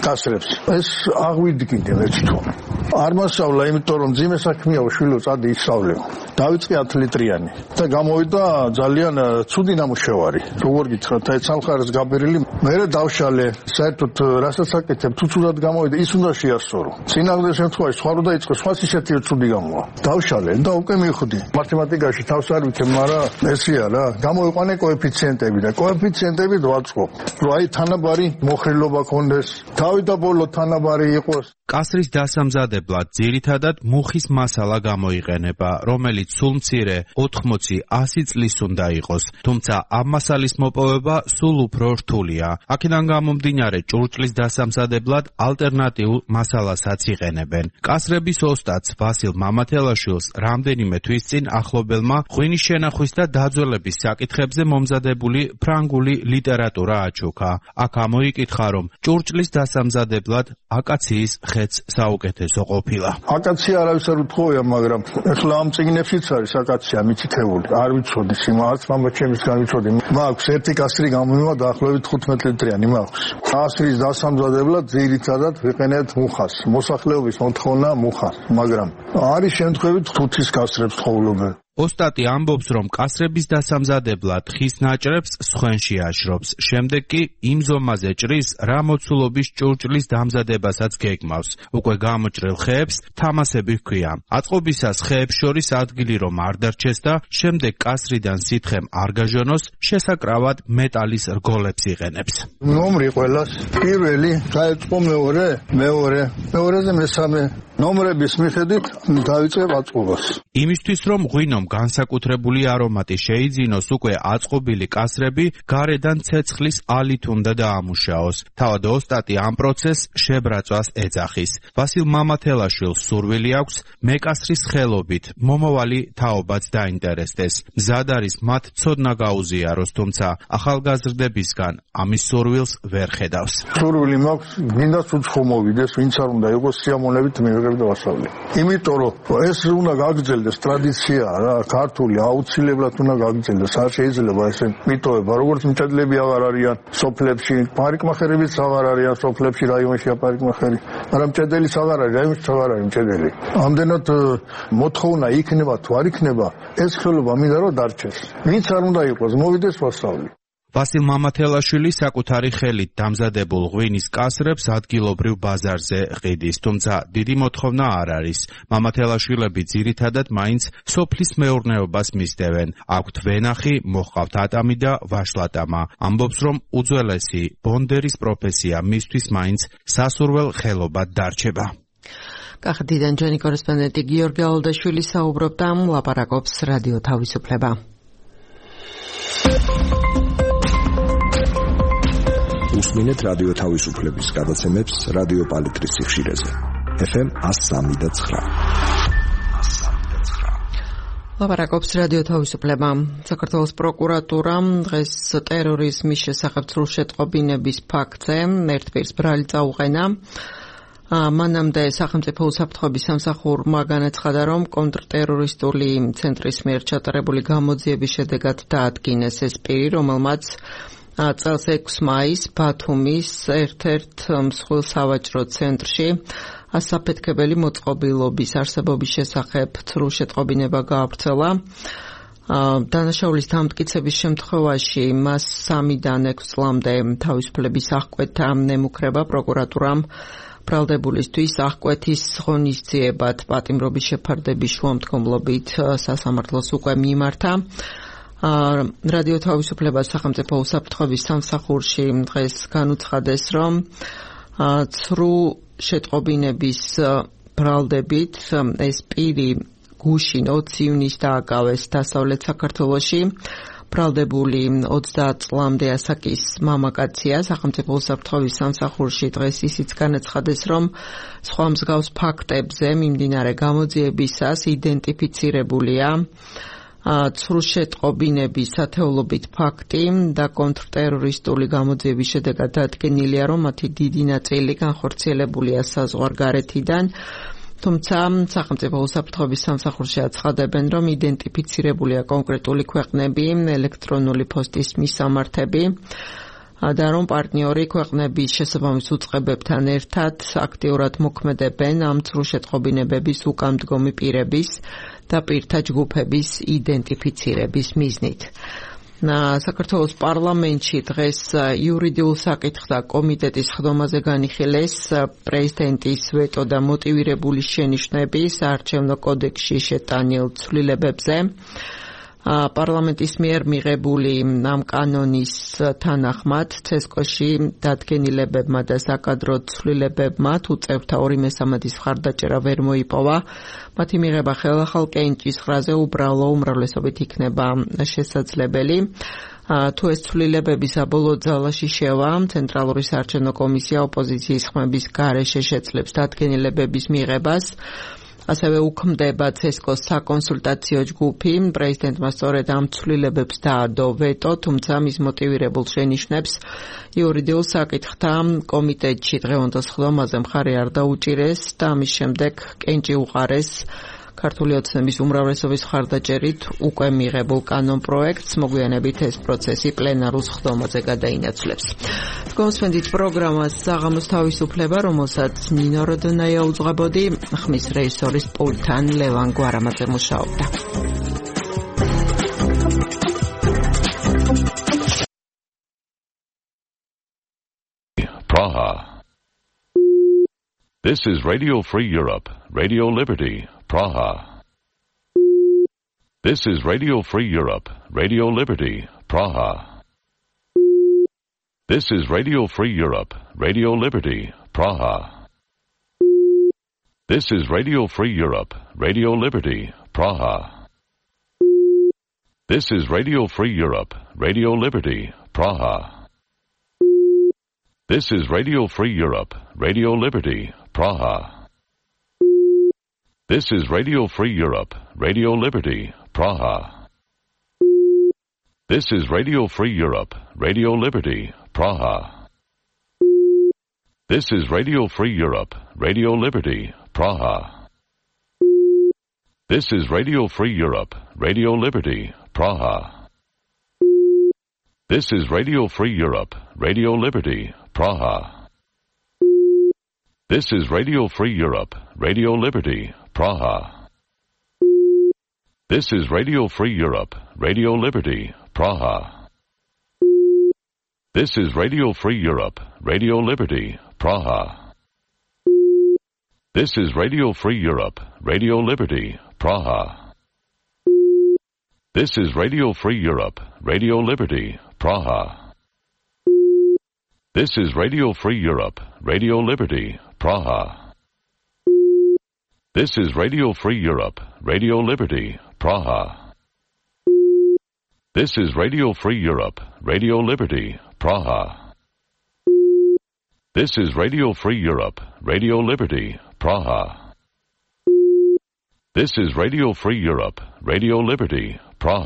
კასრებს. ეს აღვიდგინე ერთი არ მასავლა, იმიტომ რომ ძიმე საქმეა უშვილო წადი ისავლე. დავიწყე ათი ლიტრიანი და გამოვიდა ძალიან ცუდი ნამუშევარი. როგორ გითხრათ, აი სამხარეს გაბერილი, მე დავშალე, საერთოდ რასაც აკეთებ, თუ ცუდად გამოვიდა, ის უნდა შეასწორო. წინაღმდეგ შემთხვევაში სხვა რო დაიწყო, სხვაც ისეთი ცუდი გამოვა. დავშალე და უკვე მივხვდი. მათემატიკაში თავს არ ვიქებ, მაგრამ ესეა რა, გამოიყვანე კოეფიციენტები და კოეფიციენტები დავაწყო. რომ აი თანაბარი მოხრილობა ქონდეს, თავი და ბოლო თანაბარი იყოს. კასრის დასამზადებლად დამზადებლად ძირითადად მუხის მასალა გამოიყენება, რომელიც სულ მცირე ოთხმოცი ასი წლის უნდა იყოს, თუმცა ამ მასალის მოპოვება სულ უფრო რთულია. აქედან გამომდინარე ჭურჭლის დასამზადებლად ალტერნატიულ მასალასაც იყენებენ. კასრების ოსტატს ვასილ მამათელაშვილს რამდენიმე თვის წინ ახლობელმა ღვინის შენახვის და დაძველების საკითხებზე მომზადებული ფრანგული ლიტერატურა აჩუქა. აქ ამოიკითხა, რომ ჭურჭლის დასამზადებლად აკაციის ხეც საუკეთესო ყოფილა. აკაცია არავის არ უთხოვია, მაგრამ ეხლა ამ წიგნებშიც არის აკაცია მითითებული. არ ვიცოდი სიმართლე, მაგრამ ჩემისგან ვიცოდი. მაქვს ერთი კასრი გამომივა დაახლოებით თხუთმეტ ლიტრიანი მაქვს. კასრის დასამზადებლად ძირითადად ვიყენებთ მუხას. მოსახლეობის მოთხოვნა მუხა, მაგრამ არის შემთხვევით თუთის კასრებს ხოვლებენ. ოსტატი ამბობს, რომ კასრების დასამზადებლად ხის ნაჭრებს სხვენში აშრობს. შემდეგ კი იმ ზომაზე ჭრის, რა მოცულობის ჭურჭლის დამზადებასაც გეგმავს. უკვე გამოჭრილ ხეებს თამასები ჰქვია. აწყობისას ხეებს შორის ადგილი რომ არ დარჩეს და შემდეგ კასრიდან სითხემ არ გაჟონოს, შესაკრავად მეტალის რგოლებს იყენებს. ნომრი ყველას პირველი გაეწყო მეორე, მეორე, მეორეზე მესამე ნომრების მიხედვით დავიწყებ აწყობას. იმისთვის რომ ღვინომ განსაკუთრებული არომატი შეიძინოს, უკვე აწყობილი კასრები გარედან ცეცხლის ალით უნდა დაამუშაოს. თავად ოსტატი ამ პროცესს შებრაწვას ეძახის. ვასილ მამათელაშვილს სურვილი აქვს მეკასრის ხელობით მომავალი თაობაც დაინტერესდეს. მზად არის მათ ცოდნა გაუზიაროს, თუმცა ახალგაზრდებისგან ამის სურვილს ვერ ხედავს. სურვილი მაქვს, მინდა უცხო მოვიდეს, ვინც არ უნდა იყოს სიამოვნებით მივიღებ და ვასწავლე. იმიტომ რომ ეს უნდა გაგრძელდეს ტრადიცია რა, ქართული აუცილებლად უნდა გაგრძელდეს. არ შეიძლება ესე მიტოვება, როგორც მჭედლები აღარ არიან სოფლებში, პარიკმახერებიც აღარ არიან სოფლებში, რაიონში პარიკმახერი, მაგრამ მჭედელიც აღარ არის, რაიონში აღარ არის მჭედელი. ამდენად მოთხოვნა იქნება თუ არ იქნება, ეს ხელობა მინდა რომ დარჩეს. ვინც არ უნდა იყოს, მოვიდეს ვასწავლე. ვასილ მამათელაშვილი საკუთარი ხელით დამზადებულ ღვინის კასრებს ადგილობრივ ბაზარზე ყიდის, თუმცა დიდი მოთხოვნა არ არის. მამათელაშვილები ძირითადად მაინც სოფლის მეურნეობას მისდევენ. აქვთ ვენახი, მოჰყავთ ატამი და ვაშლატამა. ამბობს, რომ უძველესი ბონდერის პროფესია მისთვის მაინც სასურველ ხელობად დარჩება. კახეთიდან ჩვენი კორესპონდენტი გიორგი ალდაშვილი საუბრობდა, ლაპარაკობს რადიო თავისუფლება. უსმინეთ რადიო თავისუფლების გადაცემებს რადიო პალიტრის სიხშირეზე. ეფ ემ one oh three და nine. ლაპარაკობს რადიო თავისუფლება. საქართველოს პროკურატურამ დღეს ტერორიზმის შესახებ სრულშეტყობინების ფაქტზე ერთპირს ბრალი წაუყენა. მანამდე სახელმწიფო უსაფრთხოების სამსახურმა განაცხადა, რომ კონტრტერორისტული ცენტრის მიერ ჩატარებული გამოძიების შედეგად დაადგინეს ეს პირი, რომელმაც წელს ექვსი მაისს ბათუმის ერთ-ერთ მსხვილ სავაჭრო ცენტრში ასაფეთქებელი მოწყობილობის არსებობის შესახებ სრულშეტყობინება გაავრცელა. დანაშაულის დამტკიცების შემთხვევაში მას სამიდან ექვსი წლამდე თავისუფლების აღკვეთა ნემუქრება პროკურატურამ ბრალდებულისთვის აღკვეთის ღონისძიებად პატიმრობის შეფარდების შუამდგომლობით სასამართლოს უკვე მიმართა. რადიო თავისუფლება სახელმწიფო უსაფრთხოების სამსახურში დღეს განუცხადეს, რომ ცრუ შეტყობინების ბრალდებით ეს პირი გუშინ ოცი ივნისს დააკავეს დასავლეთ საქართველოში. ბრალდებული ოცდაათ წლამდე ასაკის მამაკაცია. სახელმწიფო უსაფრთხოების სამსახურში დღეს ისიც განაცხადეს, რომ სხვა მსგავს ფაქტებზე მიმდინარე გამოძიებისას იდენტიფიცირებულია ცრუ შეტყობინების ათეულობით ფაქტი და კონტრტერორისტული გამოძიების შედეგად დადგენილია, რომ მათი დიდი ნაწილი განხორციელებულია საზღვარგარეთიდან. თუმცა სახელმწიფო უსაფრთხოების სამსახურში აცხადებენ, რომ იდენტიფიცირებულია კონკრეტული ქვეყნები, ელექტრონული პოსტის მისამართები და რომ პარტნიორი ქვეყნების შესაბამის უწყებებთან ერთად აქტიურად მოქმედებენ ამ ცრუ შეტყობინებების უკანდგომი პირების და პირთა ჯგუფების იდენტიფიცირების მიზნით. საქართველოს პარლამენტში დღეს იურიდიულ საკითხთა კომიტეტის ხდომაზე განიხილეს პრეზიდენტის ვეტო და მოტივირებული შენიშვნები საარჩევნო კოდექსში შეტანილ ცვლილებებზე. პარლამენტის მიერ მიღებული ამ კანონის თანახმად ცესკოში დადგენილებებმა და საკადრო ცვლილებებმა თუ წევრთა ორი მესამედის მხარდაჭერა ვერ მოიპოვა, მათი მიღება ხელახალ კენჭის ხრაზე უბრალო უმრავლესობით იქნება შესაძლებელი. თუ ეს ცვლილებები საბოლოო ძალაში შევა, ცენტრალური საარჩევნო კომისია ოპოზიციის ხმების გარეშე შეძლებს დადგენილებების მიღებას. ასევე უქმდება ცესკოს საკონსულტაციო ჯგუფი. პრეზიდენტმა სწორედ ამ ცვლილებებს დაადო ვეტო, თუმცა მის მოტივირებულ შენიშვნებს იურიდიულ საკითხთა კომიტეტში დღევანდელ სხდომაზე მხარი არ დაუჭირეს და ამის შემდეგ კენჭი უყარეს ქართული ოცნების უმრავლესობის მხარდაჭერით უკვე მიღებულ კანონპროექტს. მოგვიანებით ეს პროცესი პლენარულ სხდომაზე გადაინაცვლებს. გოსვენდით პროგრამას საღამოს თავისუფლება, რომელსაც ნინო როდონაია უძღვებოდი, ხმის რეჟისორის პულტთან ლევან გვარამაძე მუშაობდა. Praha. This is Radio Free Europe, Radio Liberty, Praha. This is Radio Free Europe, Radio Liberty, Praha. This is Radio Free Europe, Radio Liberty, Praha. This is Radio Free Europe, Radio Liberty, Praha. This is Radio Free Europe, Radio Liberty, Praha. This is Radio Free Europe, Radio Liberty, Praha. This is Radio Free Europe, Radio Liberty, Praha. This is Radio Free Europe, Radio Liberty, Praha. This is Radio Free Europe, Radio Liberty, Praha. This is Radio Free Europe, Radio Liberty, Praha. This is Radio Free Europe, Radio Liberty, Praha. This is Radio Free Europe, Radio Liberty, Praha. This is Radio Free Europe, Radio Liberty, Praha. This is Radio Free Europe, Radio Liberty, Praha. This is Radio Free Europe, Radio Liberty, Praha. This is Radio Free Europe, Radio Liberty, Praha. This is Radio Free Europe, Radio Liberty, Praha. This is Radio Free Europe, Radio Liberty, Praha. This is Radio Free Europe, Radio Liberty,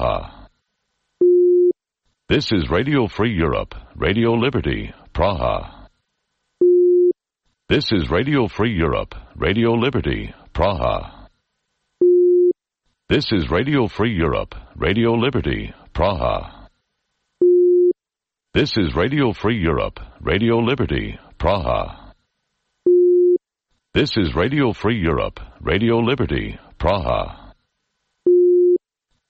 Praha. This is Radio Free Europe, Radio Liberty, Praha. This is Radio Free Europe, Radio Liberty, Praha. This is Radio Free Europe, Radio Liberty, Praha. This is Radio Free Europe, Radio Liberty, Praha. This is Radio Free Europe, Radio Liberty, Praha. This is Radio Free Europe, Radio Liberty, Praha.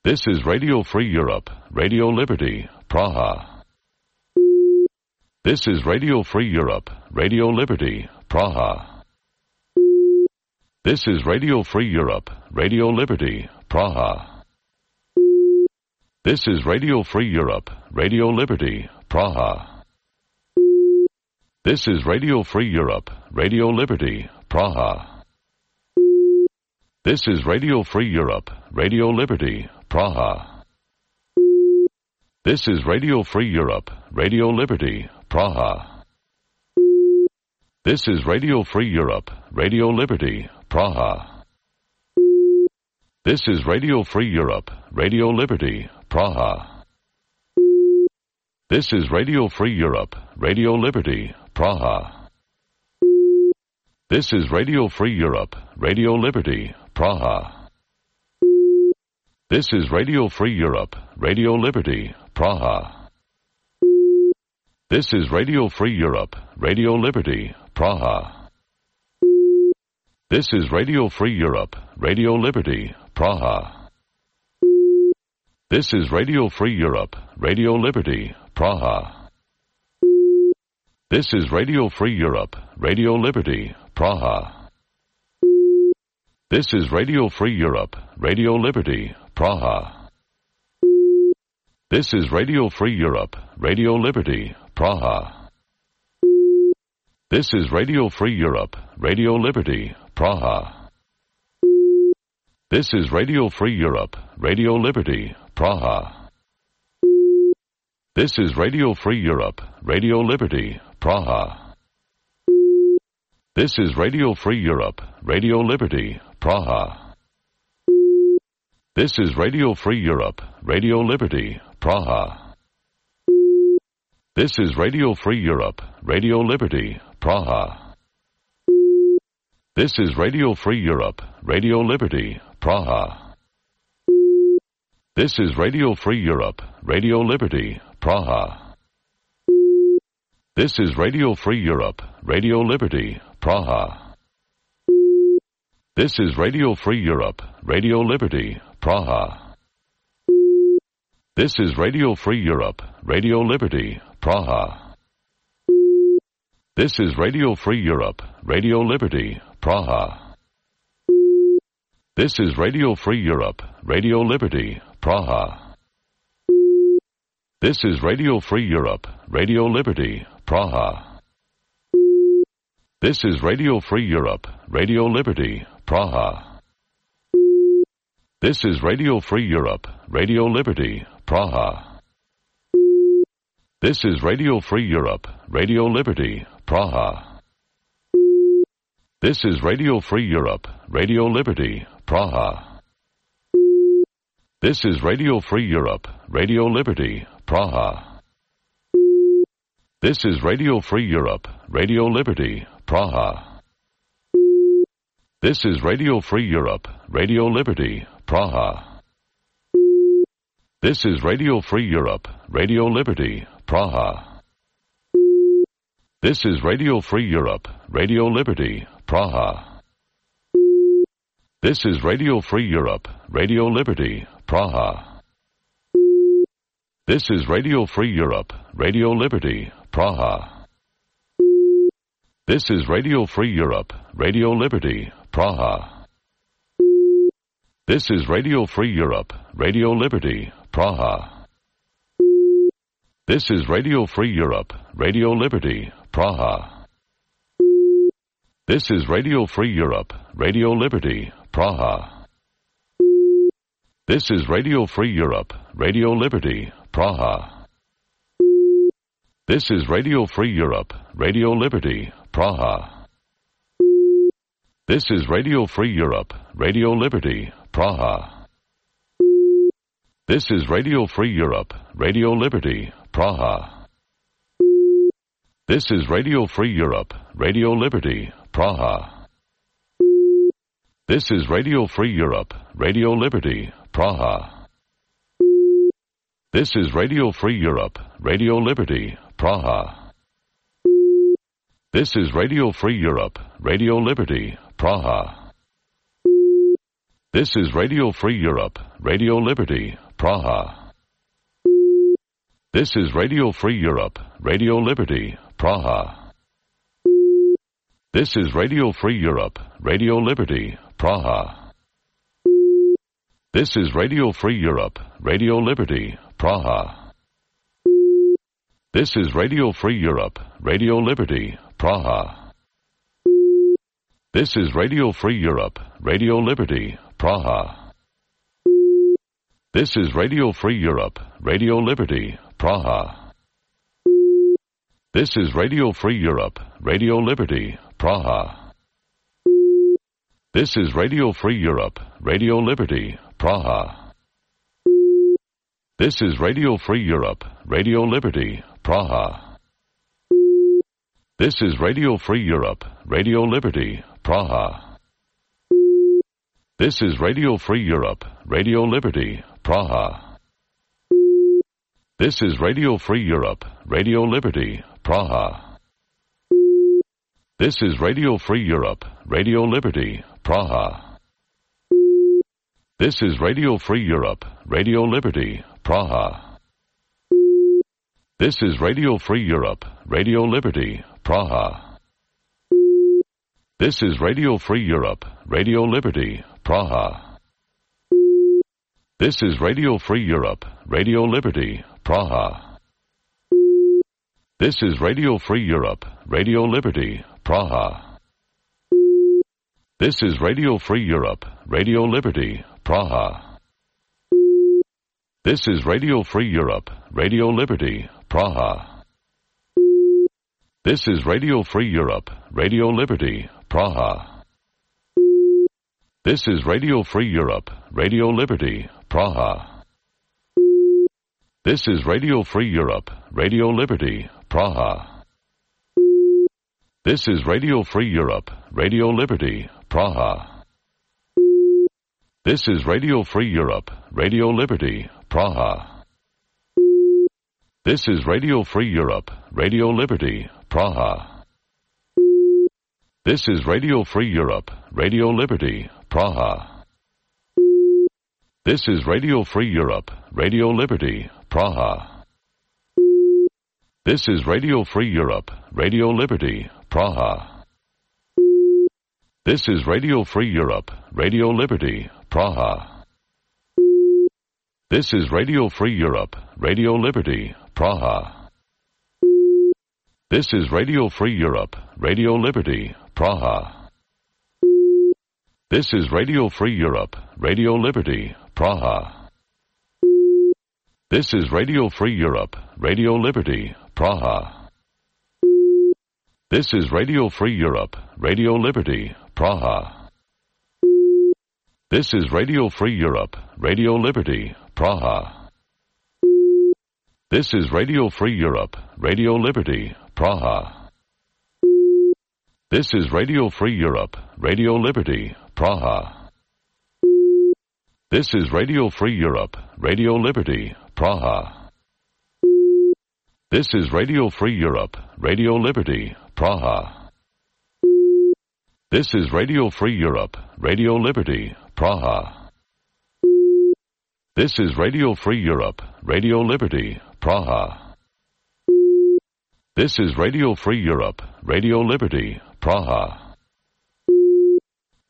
This is Radio Free Europe, Radio Liberty, Praha. This is Radio Free Europe, Radio Liberty, Praha. This is Radio Free Europe, Radio Liberty, Praha. This is Radio Free Europe, Radio Liberty, Praha. This is Radio Free Europe, Radio Liberty, Praha. This is Radio Free Europe, Radio Liberty, Praha. This is Radio Free Europe, Radio Liberty, Praha. This is Radio Free Europe, Radio Liberty, Praha. This is Radio Free Europe, Radio Liberty, Praha. This is Radio Free Europe, Radio Liberty, Praha. This is Radio Free Europe, Radio Liberty, Praha. This is Radio Free Europe, Radio Liberty, Praha. This is Radio Free Europe, Radio Liberty, Praha. This is Radio Free Europe, Radio Liberty, Praha. This is Radio Free Europe, Radio Liberty, Praha. This is Radio Free Europe, Radio Liberty, Praha. This is Radio Free Europe, Radio Liberty, Praha. This is Radio Free Europe, Radio Liberty, Praha. This is Radio Free Europe, Radio Liberty, Praha. This is Radio Free Europe, Radio Liberty, Praha. This is Radio Free Europe, Radio Liberty, Praha. This is Radio Free Europe, Radio Liberty, Praha. This is Radio Free Europe, Radio Liberty, Praha. This is Radio Free Europe, Radio Liberty, Praha. This is Radio Free Europe, Radio Liberty, Praha. This is Radio Free Europe, Radio Liberty, Praha. This is Radio Free Europe, Radio Liberty, Praha. This is Radio Free Europe, Radio Liberty, Praha. This is Radio Free Europe, Radio Liberty, Praha. This is Radio Free Europe, Radio Liberty, Praha. This is Radio Free Europe, Radio Liberty, Praha. This is Radio Free Europe, Radio Liberty, Praha. This is Radio Free Europe, Radio Liberty, Praha. This is Radio Free Europe, Radio Liberty, Praha. This is Radio Free Europe, Radio Liberty, Praha. This is Radio Free Europe, Radio Liberty, Praha. This is Radio Free Europe, Radio Liberty, Praha. This is Radio Free Europe, Radio Liberty, Praha. This is Radio Free Europe, Radio Liberty, Praha. This is Radio Free Europe, Radio Liberty, Praha. This is Radio Free Europe, Radio Liberty, Praha. This is Radio Free Europe, Radio Liberty, Praha. This is Radio Free Europe, Radio Liberty, Praha. This is Radio Free Europe, Radio Liberty, Praha. This is Radio Free Europe, Radio Liberty, Praha. This is Radio Free Europe, Radio Liberty, Praha. This is Radio Free Europe, Radio Liberty, Praha. This is Radio Free Europe, Radio Liberty, Praha. This is Radio Free Europe, Radio Liberty, Praha. This is Radio Free Europe, Radio Liberty, Praha. This is Radio Free Europe, Radio Liberty, Praha. This is Radio Free Europe, Radio Liberty, Praha. This is Radio Free Europe, Radio Liberty, Praha. This is Radio Free Europe, Radio Liberty, Praha. This is Radio Free Europe, Radio Liberty, Praha. This is Radio Free Europe, Radio Liberty, Praha. This is Radio Free Europe, Radio Liberty, Praha. This is Radio Free Europe, Radio Liberty, Praha. This is Radio Free Europe, Radio Liberty, Praha. This is Radio Free Europe, Radio Liberty, Praha. This is Radio Free Europe, Radio Liberty, Praha. This is Radio Free Europe, Radio Liberty, Praha. This is Radio Free Europe, Radio Liberty, Praha. This is Radio Free Europe, Radio Liberty, Praha. This is Radio Free Europe, Radio Liberty, Praha. This is Radio Free Europe, Radio Liberty, Praha. This is Radio Free Europe, Radio Liberty, Praha. This is Radio Free Europe, Radio Liberty, Praha. This is Radio Free Europe, Radio Liberty, Praha. This is Radio Free Europe, Radio Liberty, Praha. This is Radio Free Europe, Radio Liberty, Praha. This is Radio Free Europe, Radio Liberty, Praha. This is Radio Free Europe, Radio Liberty, Praha. This is Radio Free Europe, Radio Liberty, Praha. This is Radio Free Europe, Radio Liberty, Praha. This is Radio Free Europe, Radio Liberty, Praha. This is Radio Free Europe, Radio Liberty, Praha. This is Radio Free Europe, Radio Liberty, Praha. This is Radio Free Europe, Radio Liberty, Praha. This is Radio Free Europe, Radio Liberty, Praha. This is Radio Free Europe, Radio Liberty, Praha. This is Radio Free Europe, Radio Liberty, Praha. This is Radio Free Europe, Radio Liberty, Praha. This is Radio Free Europe, Radio Liberty, Praha. This is Radio Free Europe, Radio Liberty, Praha. This is Radio Free Europe, Radio Liberty, Praha. This is Radio Free Europe, Radio Liberty, Praha. This is Radio Free Europe, Radio Liberty, Praha. This is Radio Free Europe, Radio Liberty, Praha. This is Radio Free Europe, Radio Liberty, Praha. This is Radio Free Europe, Radio Liberty, Praha. This is Radio Free Europe, Radio Liberty, Praha. This is Radio Free Europe, Radio Liberty, Praha. This is Radio Free Europe, Radio Liberty, Praha. This is Radio Free Europe, Radio Liberty, Praha. This is Radio Free Europe, Radio Liberty, Praha. This is Radio Free Europe, Radio Liberty, Praha. This is Radio Free Europe, Radio Liberty, Praha. This is Radio Free Europe, Radio Liberty, Praha. This is Radio Free Europe, Radio Liberty, Praha.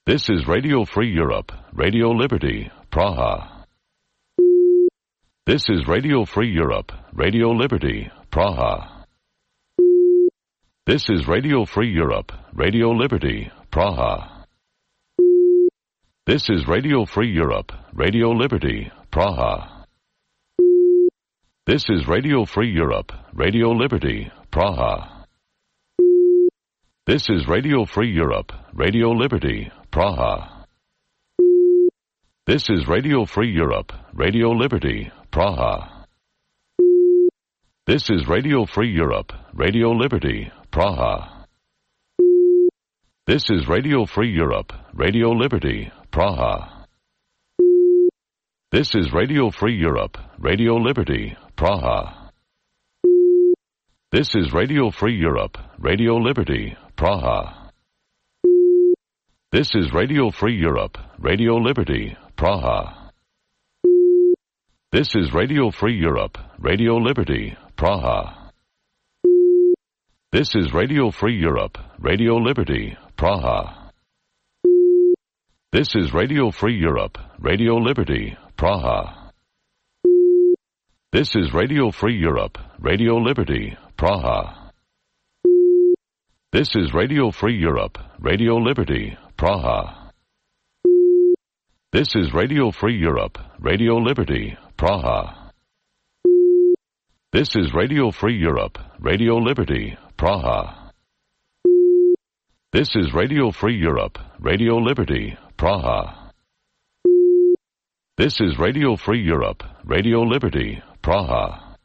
This is Radio Free Europe, Radio Liberty, Praha. This is Radio Free Europe, Radio Liberty, Praha. This is Radio Free Europe, Radio Liberty, Praha. This is Radio Free Europe, Radio Liberty, Praha. This is Radio Free Europe, Radio Liberty, Praha. This is Radio Free Europe, Radio Liberty, Praha. This is Radio Free Europe, Radio Liberty, Praha. This is Radio Free Europe, Radio Liberty, Praha. This is Radio Free Europe, Radio Liberty, Praha. This is Radio Free Europe, Radio Liberty, Praha. This is Radio Free Europe, Radio Liberty, Praha. This is Radio Free Europe, Radio Liberty, Praha. This is Radio Free Europe, Radio Liberty, Praha. This is Radio Free Europe, Radio Liberty, Praha. This is Radio Free Europe, Radio Liberty, Praha. This is Radio Free Europe, Radio Liberty, Praha. This is Radio Free Europe, Radio Liberty, Praha. This is Radio Free Europe, Radio Liberty, Praha. This is Radio Free Europe, Radio Liberty, Praha. This is Radio Free Europe, Radio Liberty, Praha. This is Radio Free Europe, Radio Liberty, Praha.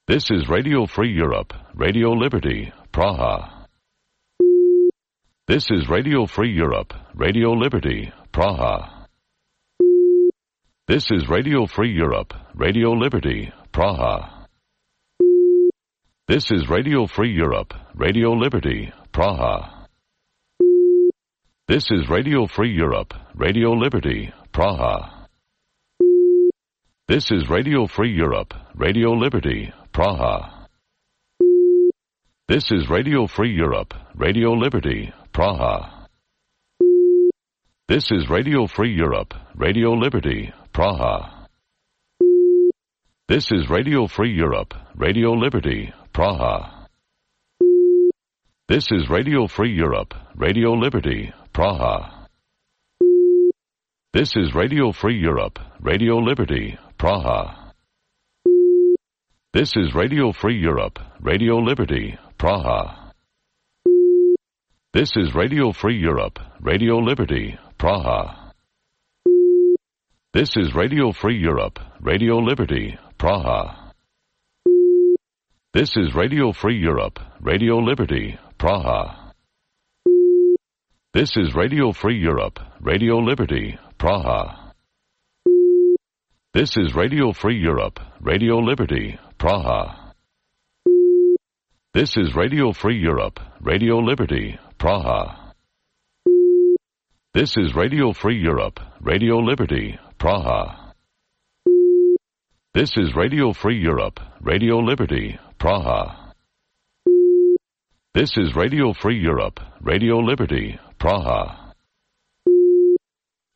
This is Radio Free Europe, Radio Liberty, Praha. This is Radio Free Europe, Radio Liberty, Praha. This is Radio Free Europe, Radio Liberty, Praha. This is Radio Free Europe, Radio Liberty, Praha. This is Radio Free Europe, Radio Liberty, Praha. This is Radio Free Europe, Radio Liberty, Praha. This is Radio Free Europe, Radio Liberty, Praha. This is Radio Free Europe, Radio Liberty, Praha. This is Radio Free Europe, Radio Liberty, Praha. This is Radio Free Europe, Radio Liberty, Praha. This is Radio Free Europe, Radio Liberty, Praha. This is Radio Free Europe, Radio Liberty, Praha. This is Radio Free Europe, Radio Liberty, Praha. This is Radio Free Europe, Radio Liberty, Praha. This is Radio Free Europe, Radio Liberty, Praha. This is Radio Free Europe, Radio Liberty, Praha. This is Radio Free Europe, Radio Liberty, Praha. This is Radio Free Europe, Radio Liberty, Praha. This is Radio Free Europe, Radio Liberty, Praha. This is Radio Free Europe, Radio Liberty, Praha. This is Radio Free Europe, Radio Liberty, Praha.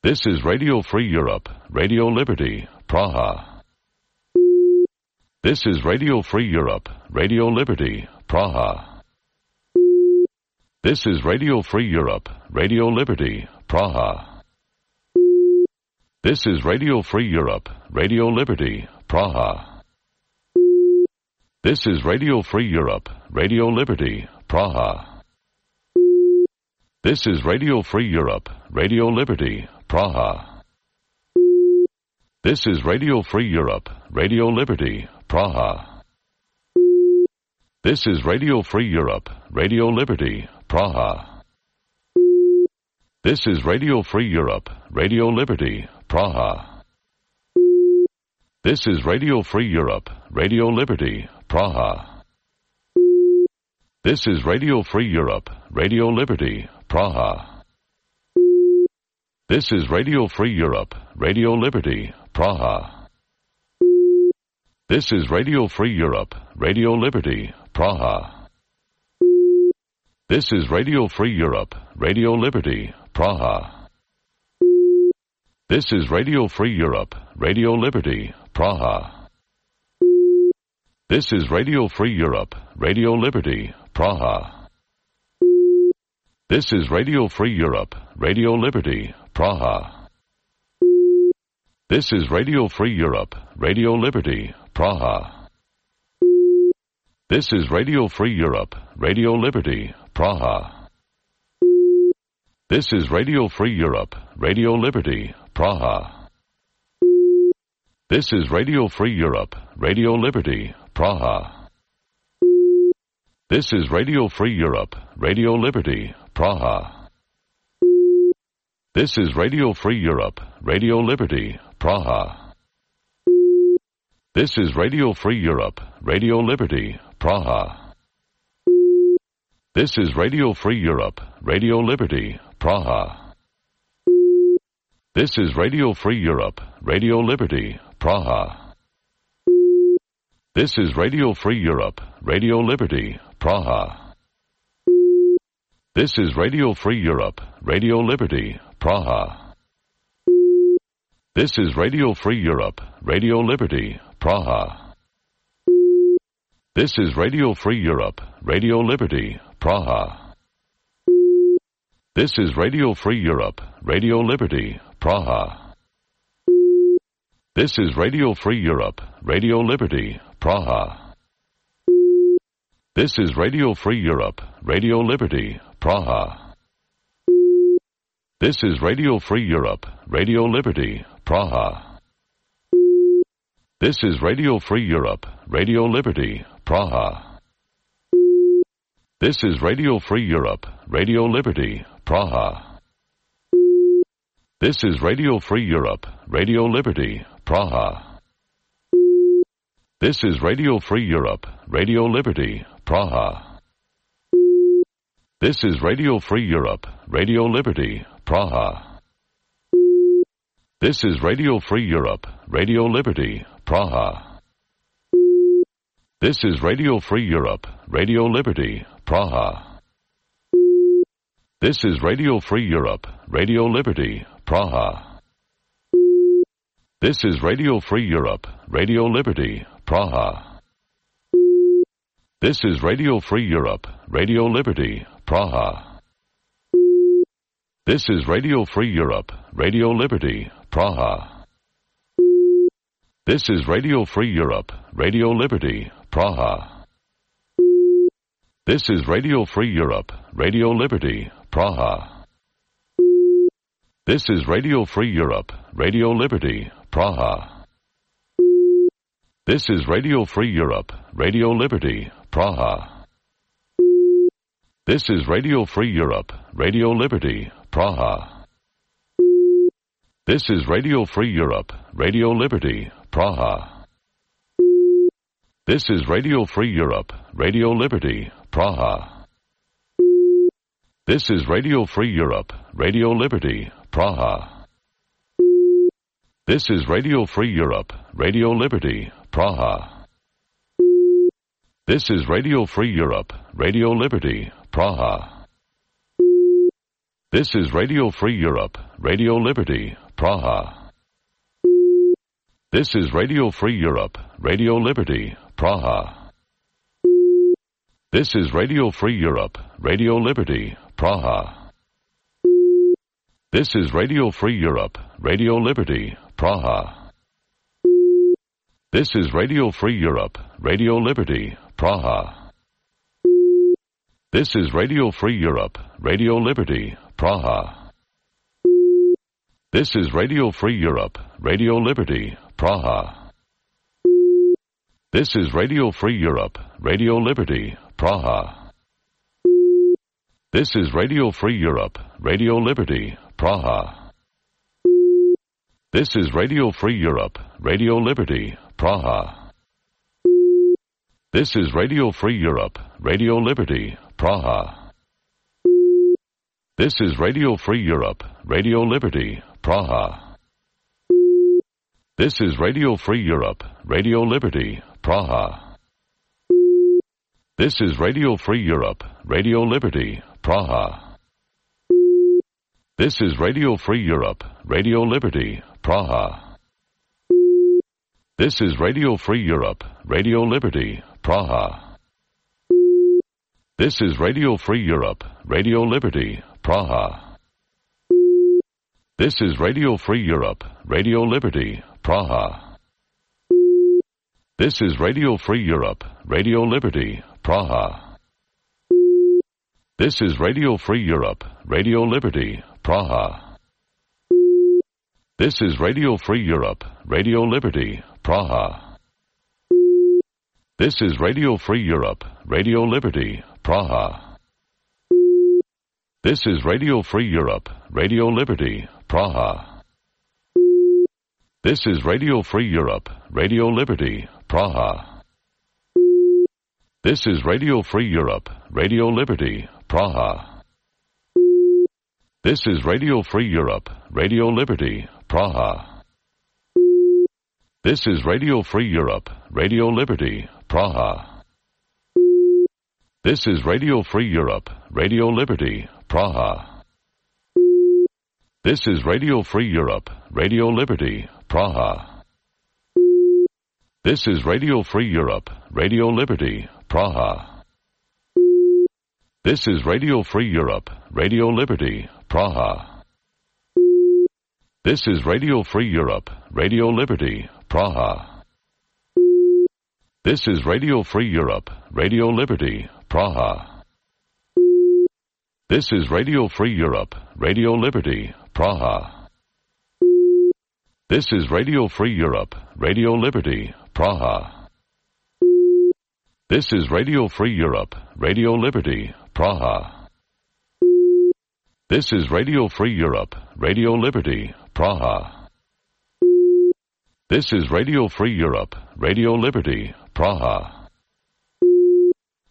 This is Radio Free Europe, Radio Liberty, Praha. This is Radio Free Europe, Radio Liberty, Praha. This is Radio Free Europe, Radio Liberty, Praha. This is Radio Free Europe, Radio Liberty, Praha. This is Radio Free Europe, Radio Liberty, Praha. This is Radio Free Europe, Radio Liberty, Praha. This is Radio Free Europe, Radio Liberty, Praha. This is Radio Free Europe, Radio Liberty, Praha. This is Radio Free Europe, Radio Liberty, Praha. This is Radio Free Europe, Radio Liberty, Praha. This is Radio Free Europe, Radio Liberty, Praha. This is Radio Free Europe, Radio Liberty, Praha. This is Radio Free Europe, Radio Liberty, Praha. This is Radio Free Europe, Radio Liberty, Praha. This is Radio Free Europe, Radio Liberty, Praha. This is Radio Free Europe, Radio Liberty, Praha. This is Radio Free Europe, Radio Liberty, Praha. This is Radio Free Europe, Radio Liberty, Praha. This is Radio Free Europe, Radio Liberty, Praha. This is Radio Free Europe, Radio Liberty, Praha. This is Radio Free Europe, Radio Liberty, Praha. This is Radio Free Europe, Radio Liberty, Praha. This is Radio Free Europe, Radio Liberty, Praha. This is Radio Free Europe, Radio Liberty, Praha. This is Radio Free Europe, Radio Liberty, Praha. This is Radio Free Europe, Radio Liberty, Praha. This is Radio Free Europe, Radio Liberty, Praha. This is Radio Free Europe, Radio Liberty, Praha. This is Radio Free Europe, Radio Liberty, Praha. This is Radio Free Europe, Radio Liberty, Praha. This is Radio Free Europe, Radio Liberty, Praha. This is Radio Free Europe, Radio Liberty, Praha. This is Radio Free Europe, Radio Liberty, Praha. This is Radio Free Europe, Radio Liberty, Praha. This is Radio Free Europe, Radio Liberty, Praha. This is Radio Free Europe, Radio Liberty, Praha. This is Radio Free Europe, Radio Liberty, Praha. This is Radio Free Europe, Radio Liberty, Praha. This is Radio Free Europe, Radio Liberty, Praha. This is Radio Free Europe, Radio Liberty, Praha. This is Radio Free Europe, Radio Liberty, Praha. This is Radio Free Europe, Radio Liberty, Praha. This is Radio Free Europe, Radio Liberty, Praha. This is Radio Free Europe, Radio Liberty, Praha. This is Radio Free Europe, Radio Liberty, Praha. This is Radio Free Europe, Radio Liberty, Praha. This is Radio Free Europe, Radio Liberty, Praha. This is Radio Free Europe, Radio Liberty, Praha. This is Radio Free Europe, Radio Liberty, Praha. This is Radio Free Europe, Radio Liberty, Praha. This is Radio Free Europe, Radio Liberty, Praha. This is Radio Free Europe, Radio Liberty, Praha. This is Radio Free Europe, Radio Liberty, Praha. This is Radio Free Europe, Radio Liberty, Praha. This is Radio Free Europe, Radio Liberty, Praha. This is Radio Free Europe, Radio Liberty, Praha. This is Radio Free Europe, Radio Liberty, Praha. This is Radio Free Europe, Radio Liberty, Praha. This is Radio Free Europe, Radio Liberty, Praha. This is Radio Free Europe, Radio Liberty, Praha. This is Radio Free Europe, Radio Liberty, Praha. This is Radio Free Europe, Radio Liberty, Praha. This is Radio Free Europe, Radio Liberty, Praha. This is Radio Free Europe, Radio Liberty, Praha. This is Radio Free Europe, Radio Liberty, Praha. This is Radio Free Europe, Radio Liberty, Praha. This is Radio Free Europe, Radio Liberty, Praha. This is Radio Free Europe, Radio Liberty, Praha. This is Radio Free Europe, Radio Liberty, Praha. This is Radio Free Europe, Radio Liberty, Praha. This is Radio Free Europe, Radio Liberty, Praha. This is Radio Free Europe, Radio Liberty, Praha. This is Radio Free Europe, Radio Liberty, Praha. This is Radio Free Europe, Radio Liberty, Praha. This is Radio Free Europe, Radio Liberty, Praha. This is Radio Free Europe, Radio Liberty, Praha. This is Radio Free Europe, Radio Liberty, Praha. This is Radio Free Europe, Radio Liberty, Praha. This is Radio Free Europe, Radio Liberty, Praha. This is Radio Free Europe, Radio Liberty, Praha. This is Radio Free Europe, Radio Liberty, Praha. This is Radio Free Europe, Radio Liberty, Praha. This is Radio Free Europe, Radio Liberty, Praha. This is Radio Free Europe, Radio Liberty, Praha. This is Radio Free Europe, Radio Liberty, Praha. This is Radio Free Europe, Radio Liberty, Praha. This is Radio Free Europe, Radio Liberty, Praha. This is Radio Free Europe, Radio Liberty, Praha. This is Radio Free Europe, Radio Liberty, Praha. This is Radio Free Europe, Radio Liberty, Praha. This is Radio Free Europe, Radio Liberty, Praha. This is Radio Free Europe, Radio Liberty, Praha. This is Radio Free Europe, Radio Liberty, Praha.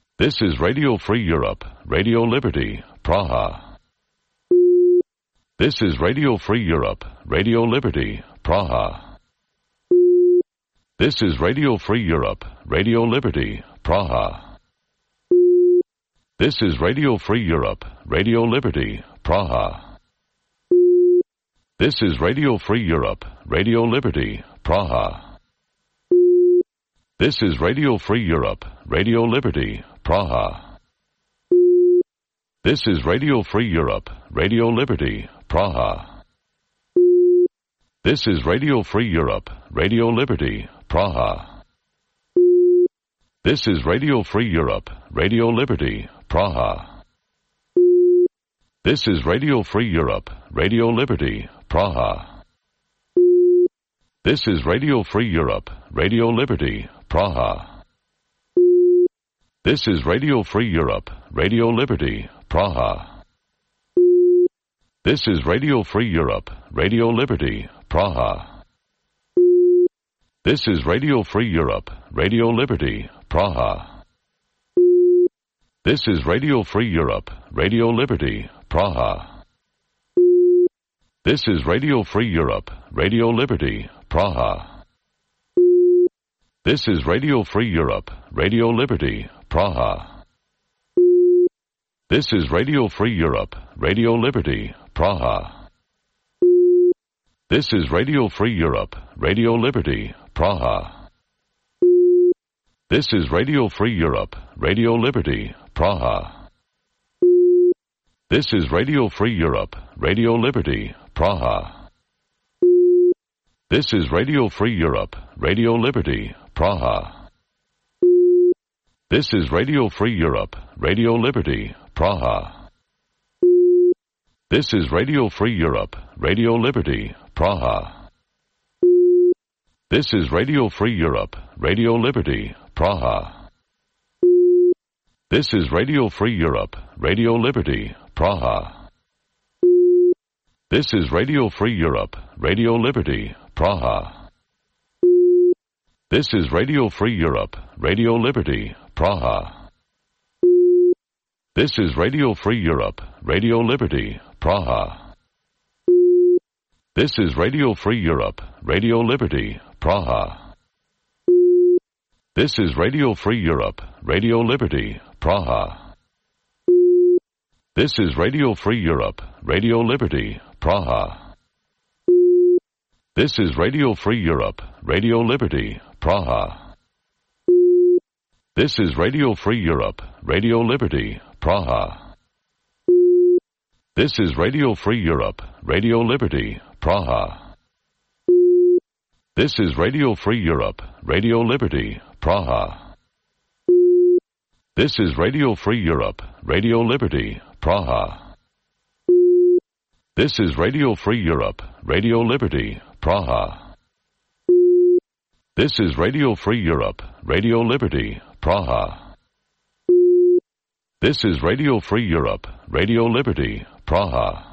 This is Radio Free Europe, Radio Liberty, Praha. This is Radio Free Europe, Radio Liberty, Praha. This is Radio Free Europe, Radio Liberty, Praha. This is Radio Free Europe, Radio Liberty, Praha. This is Radio Free Europe, Radio Liberty, Praha. This is Radio Free Europe, Radio Liberty, Praha. This is Radio Free Europe, Radio Liberty, Praha. This is Radio Free Europe, Radio Liberty, Praha. This is Radio Free Europe, Radio Liberty, Praha. This is Radio Free Europe, Radio Liberty, Praha. This is Radio Free Europe, Radio Liberty, Praha. This is Radio Free Europe, Radio Liberty, Praha. This is Radio Free Europe, Radio Liberty, Praha. This is Radio Free Europe, Radio Liberty, Praha. This is Radio Free Europe, Radio Liberty, Praha. This is Radio Free Europe, Radio Liberty, Praha. This is Radio Free Europe, Radio Liberty, Praha. This is Radio Free Europe, Radio Liberty, Praha. This is Radio Free Europe, Radio Liberty, Praha. This is Radio Free Europe, Radio Liberty, Praha. This is Radio Free Europe, Radio Liberty, Praha. This is Radio Free Europe, Radio Liberty, Praha. This is Radio Free Europe, Radio Liberty, Praha. This is Radio Free Europe, Radio Liberty, Praha. This is Radio Free Europe, Radio Liberty, Praha. This is Radio Free Europe, Radio Liberty, Praha. This is Radio Free Europe, Radio Liberty, Praha. This is Radio Free Europe, Radio Liberty, Praha. This is Radio Free Europe, Radio Liberty, Praha. This is Radio Free Europe, Radio Liberty, Praha. This is Radio Free Europe, Radio Liberty, Praha. This is Radio Free Europe, Radio Liberty, Praha. This is Radio Free Europe, Radio Liberty, Praha. This is Radio Free Europe, Radio Liberty, Praha. This is Radio Free Europe, Radio Liberty, Praha. This is Radio Free Europe, Radio Liberty, Praha. This is Radio Free Europe, Radio Liberty, Praha. This is Radio Free Europe, Radio Liberty, Praha. This is Radio Free Europe, Radio Liberty, Praha.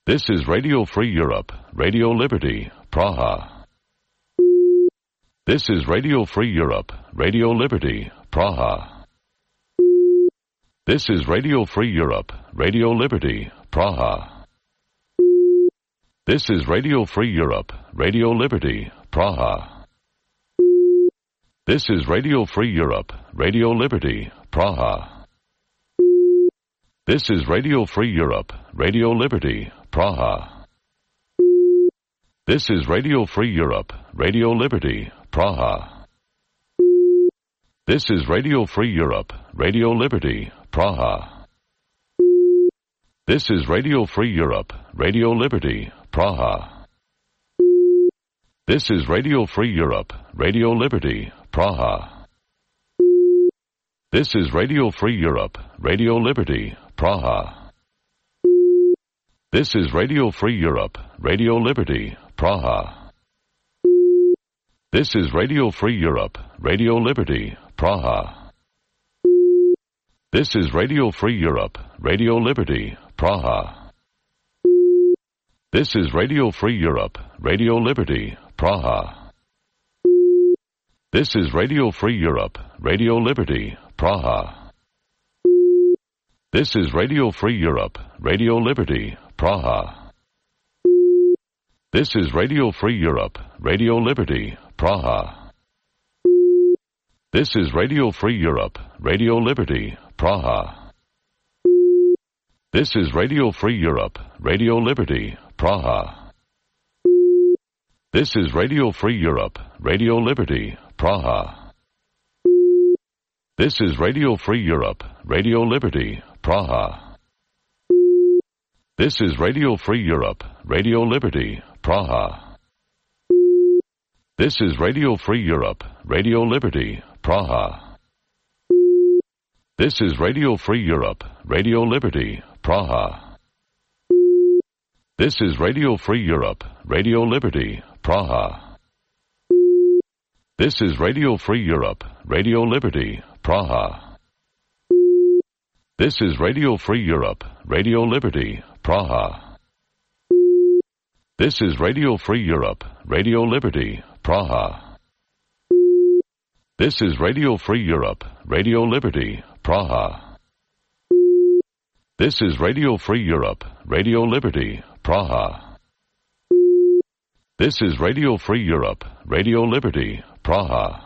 This is Radio Free Europe, Radio Liberty, Praha. This is Radio Free Europe, Radio Liberty, Praha. This is Radio Free Europe, Radio Liberty, Praha. This is Radio Free Europe, Radio Liberty, Praha. This is Radio Free Europe, Radio Liberty, Praha. This is Radio Free Europe, Radio Liberty, Praha. This is Radio Free Europe, Radio Liberty, Praha. This is Radio Free Europe, Radio Liberty, Praha. This is Radio Free Europe, Radio Liberty, Praha. This is Radio Free Europe, Radio Liberty, Praha. This is Radio Free Europe, Radio Liberty, Praha. This is Radio Free Europe, Radio Liberty, Praha. This is Radio Free Europe, Radio Liberty, Praha. This is Radio Free Europe, Radio Liberty, Praha. This is Radio Free Europe, Radio Liberty, Praha. This is Radio Free Europe, Radio Liberty, Praha. This is Radio Free Europe, Radio Liberty, Praha. This is Radio Free Europe, Radio Liberty, Praha. This is Radio Free Europe, Radio Liberty, Praha. This is Radio Free Europe, Radio Liberty, Praha. This is Radio Free Europe, Radio Liberty, Praha. This is Radio Free Europe, Radio Liberty, Praha. This is Radio Free Europe, Radio Liberty, Praha. This is Radio Free Europe, Radio Liberty, Praha. This is Radio Free Europe, Radio Liberty, Praha. This is Radio Free Europe, Radio Liberty, Praha. This is Radio Free Europe, Radio Liberty, Praha. This is Radio Free Europe, Radio Liberty, Praha. This is Radio Free Europe, Radio Liberty, Praha. This is Radio Free Europe, Radio Liberty, Praha. This is Radio Free Europe, Radio Liberty, Praha. This is Radio Free Europe, Radio Liberty, Praha. This is Radio Free Europe, Radio Liberty, Praha.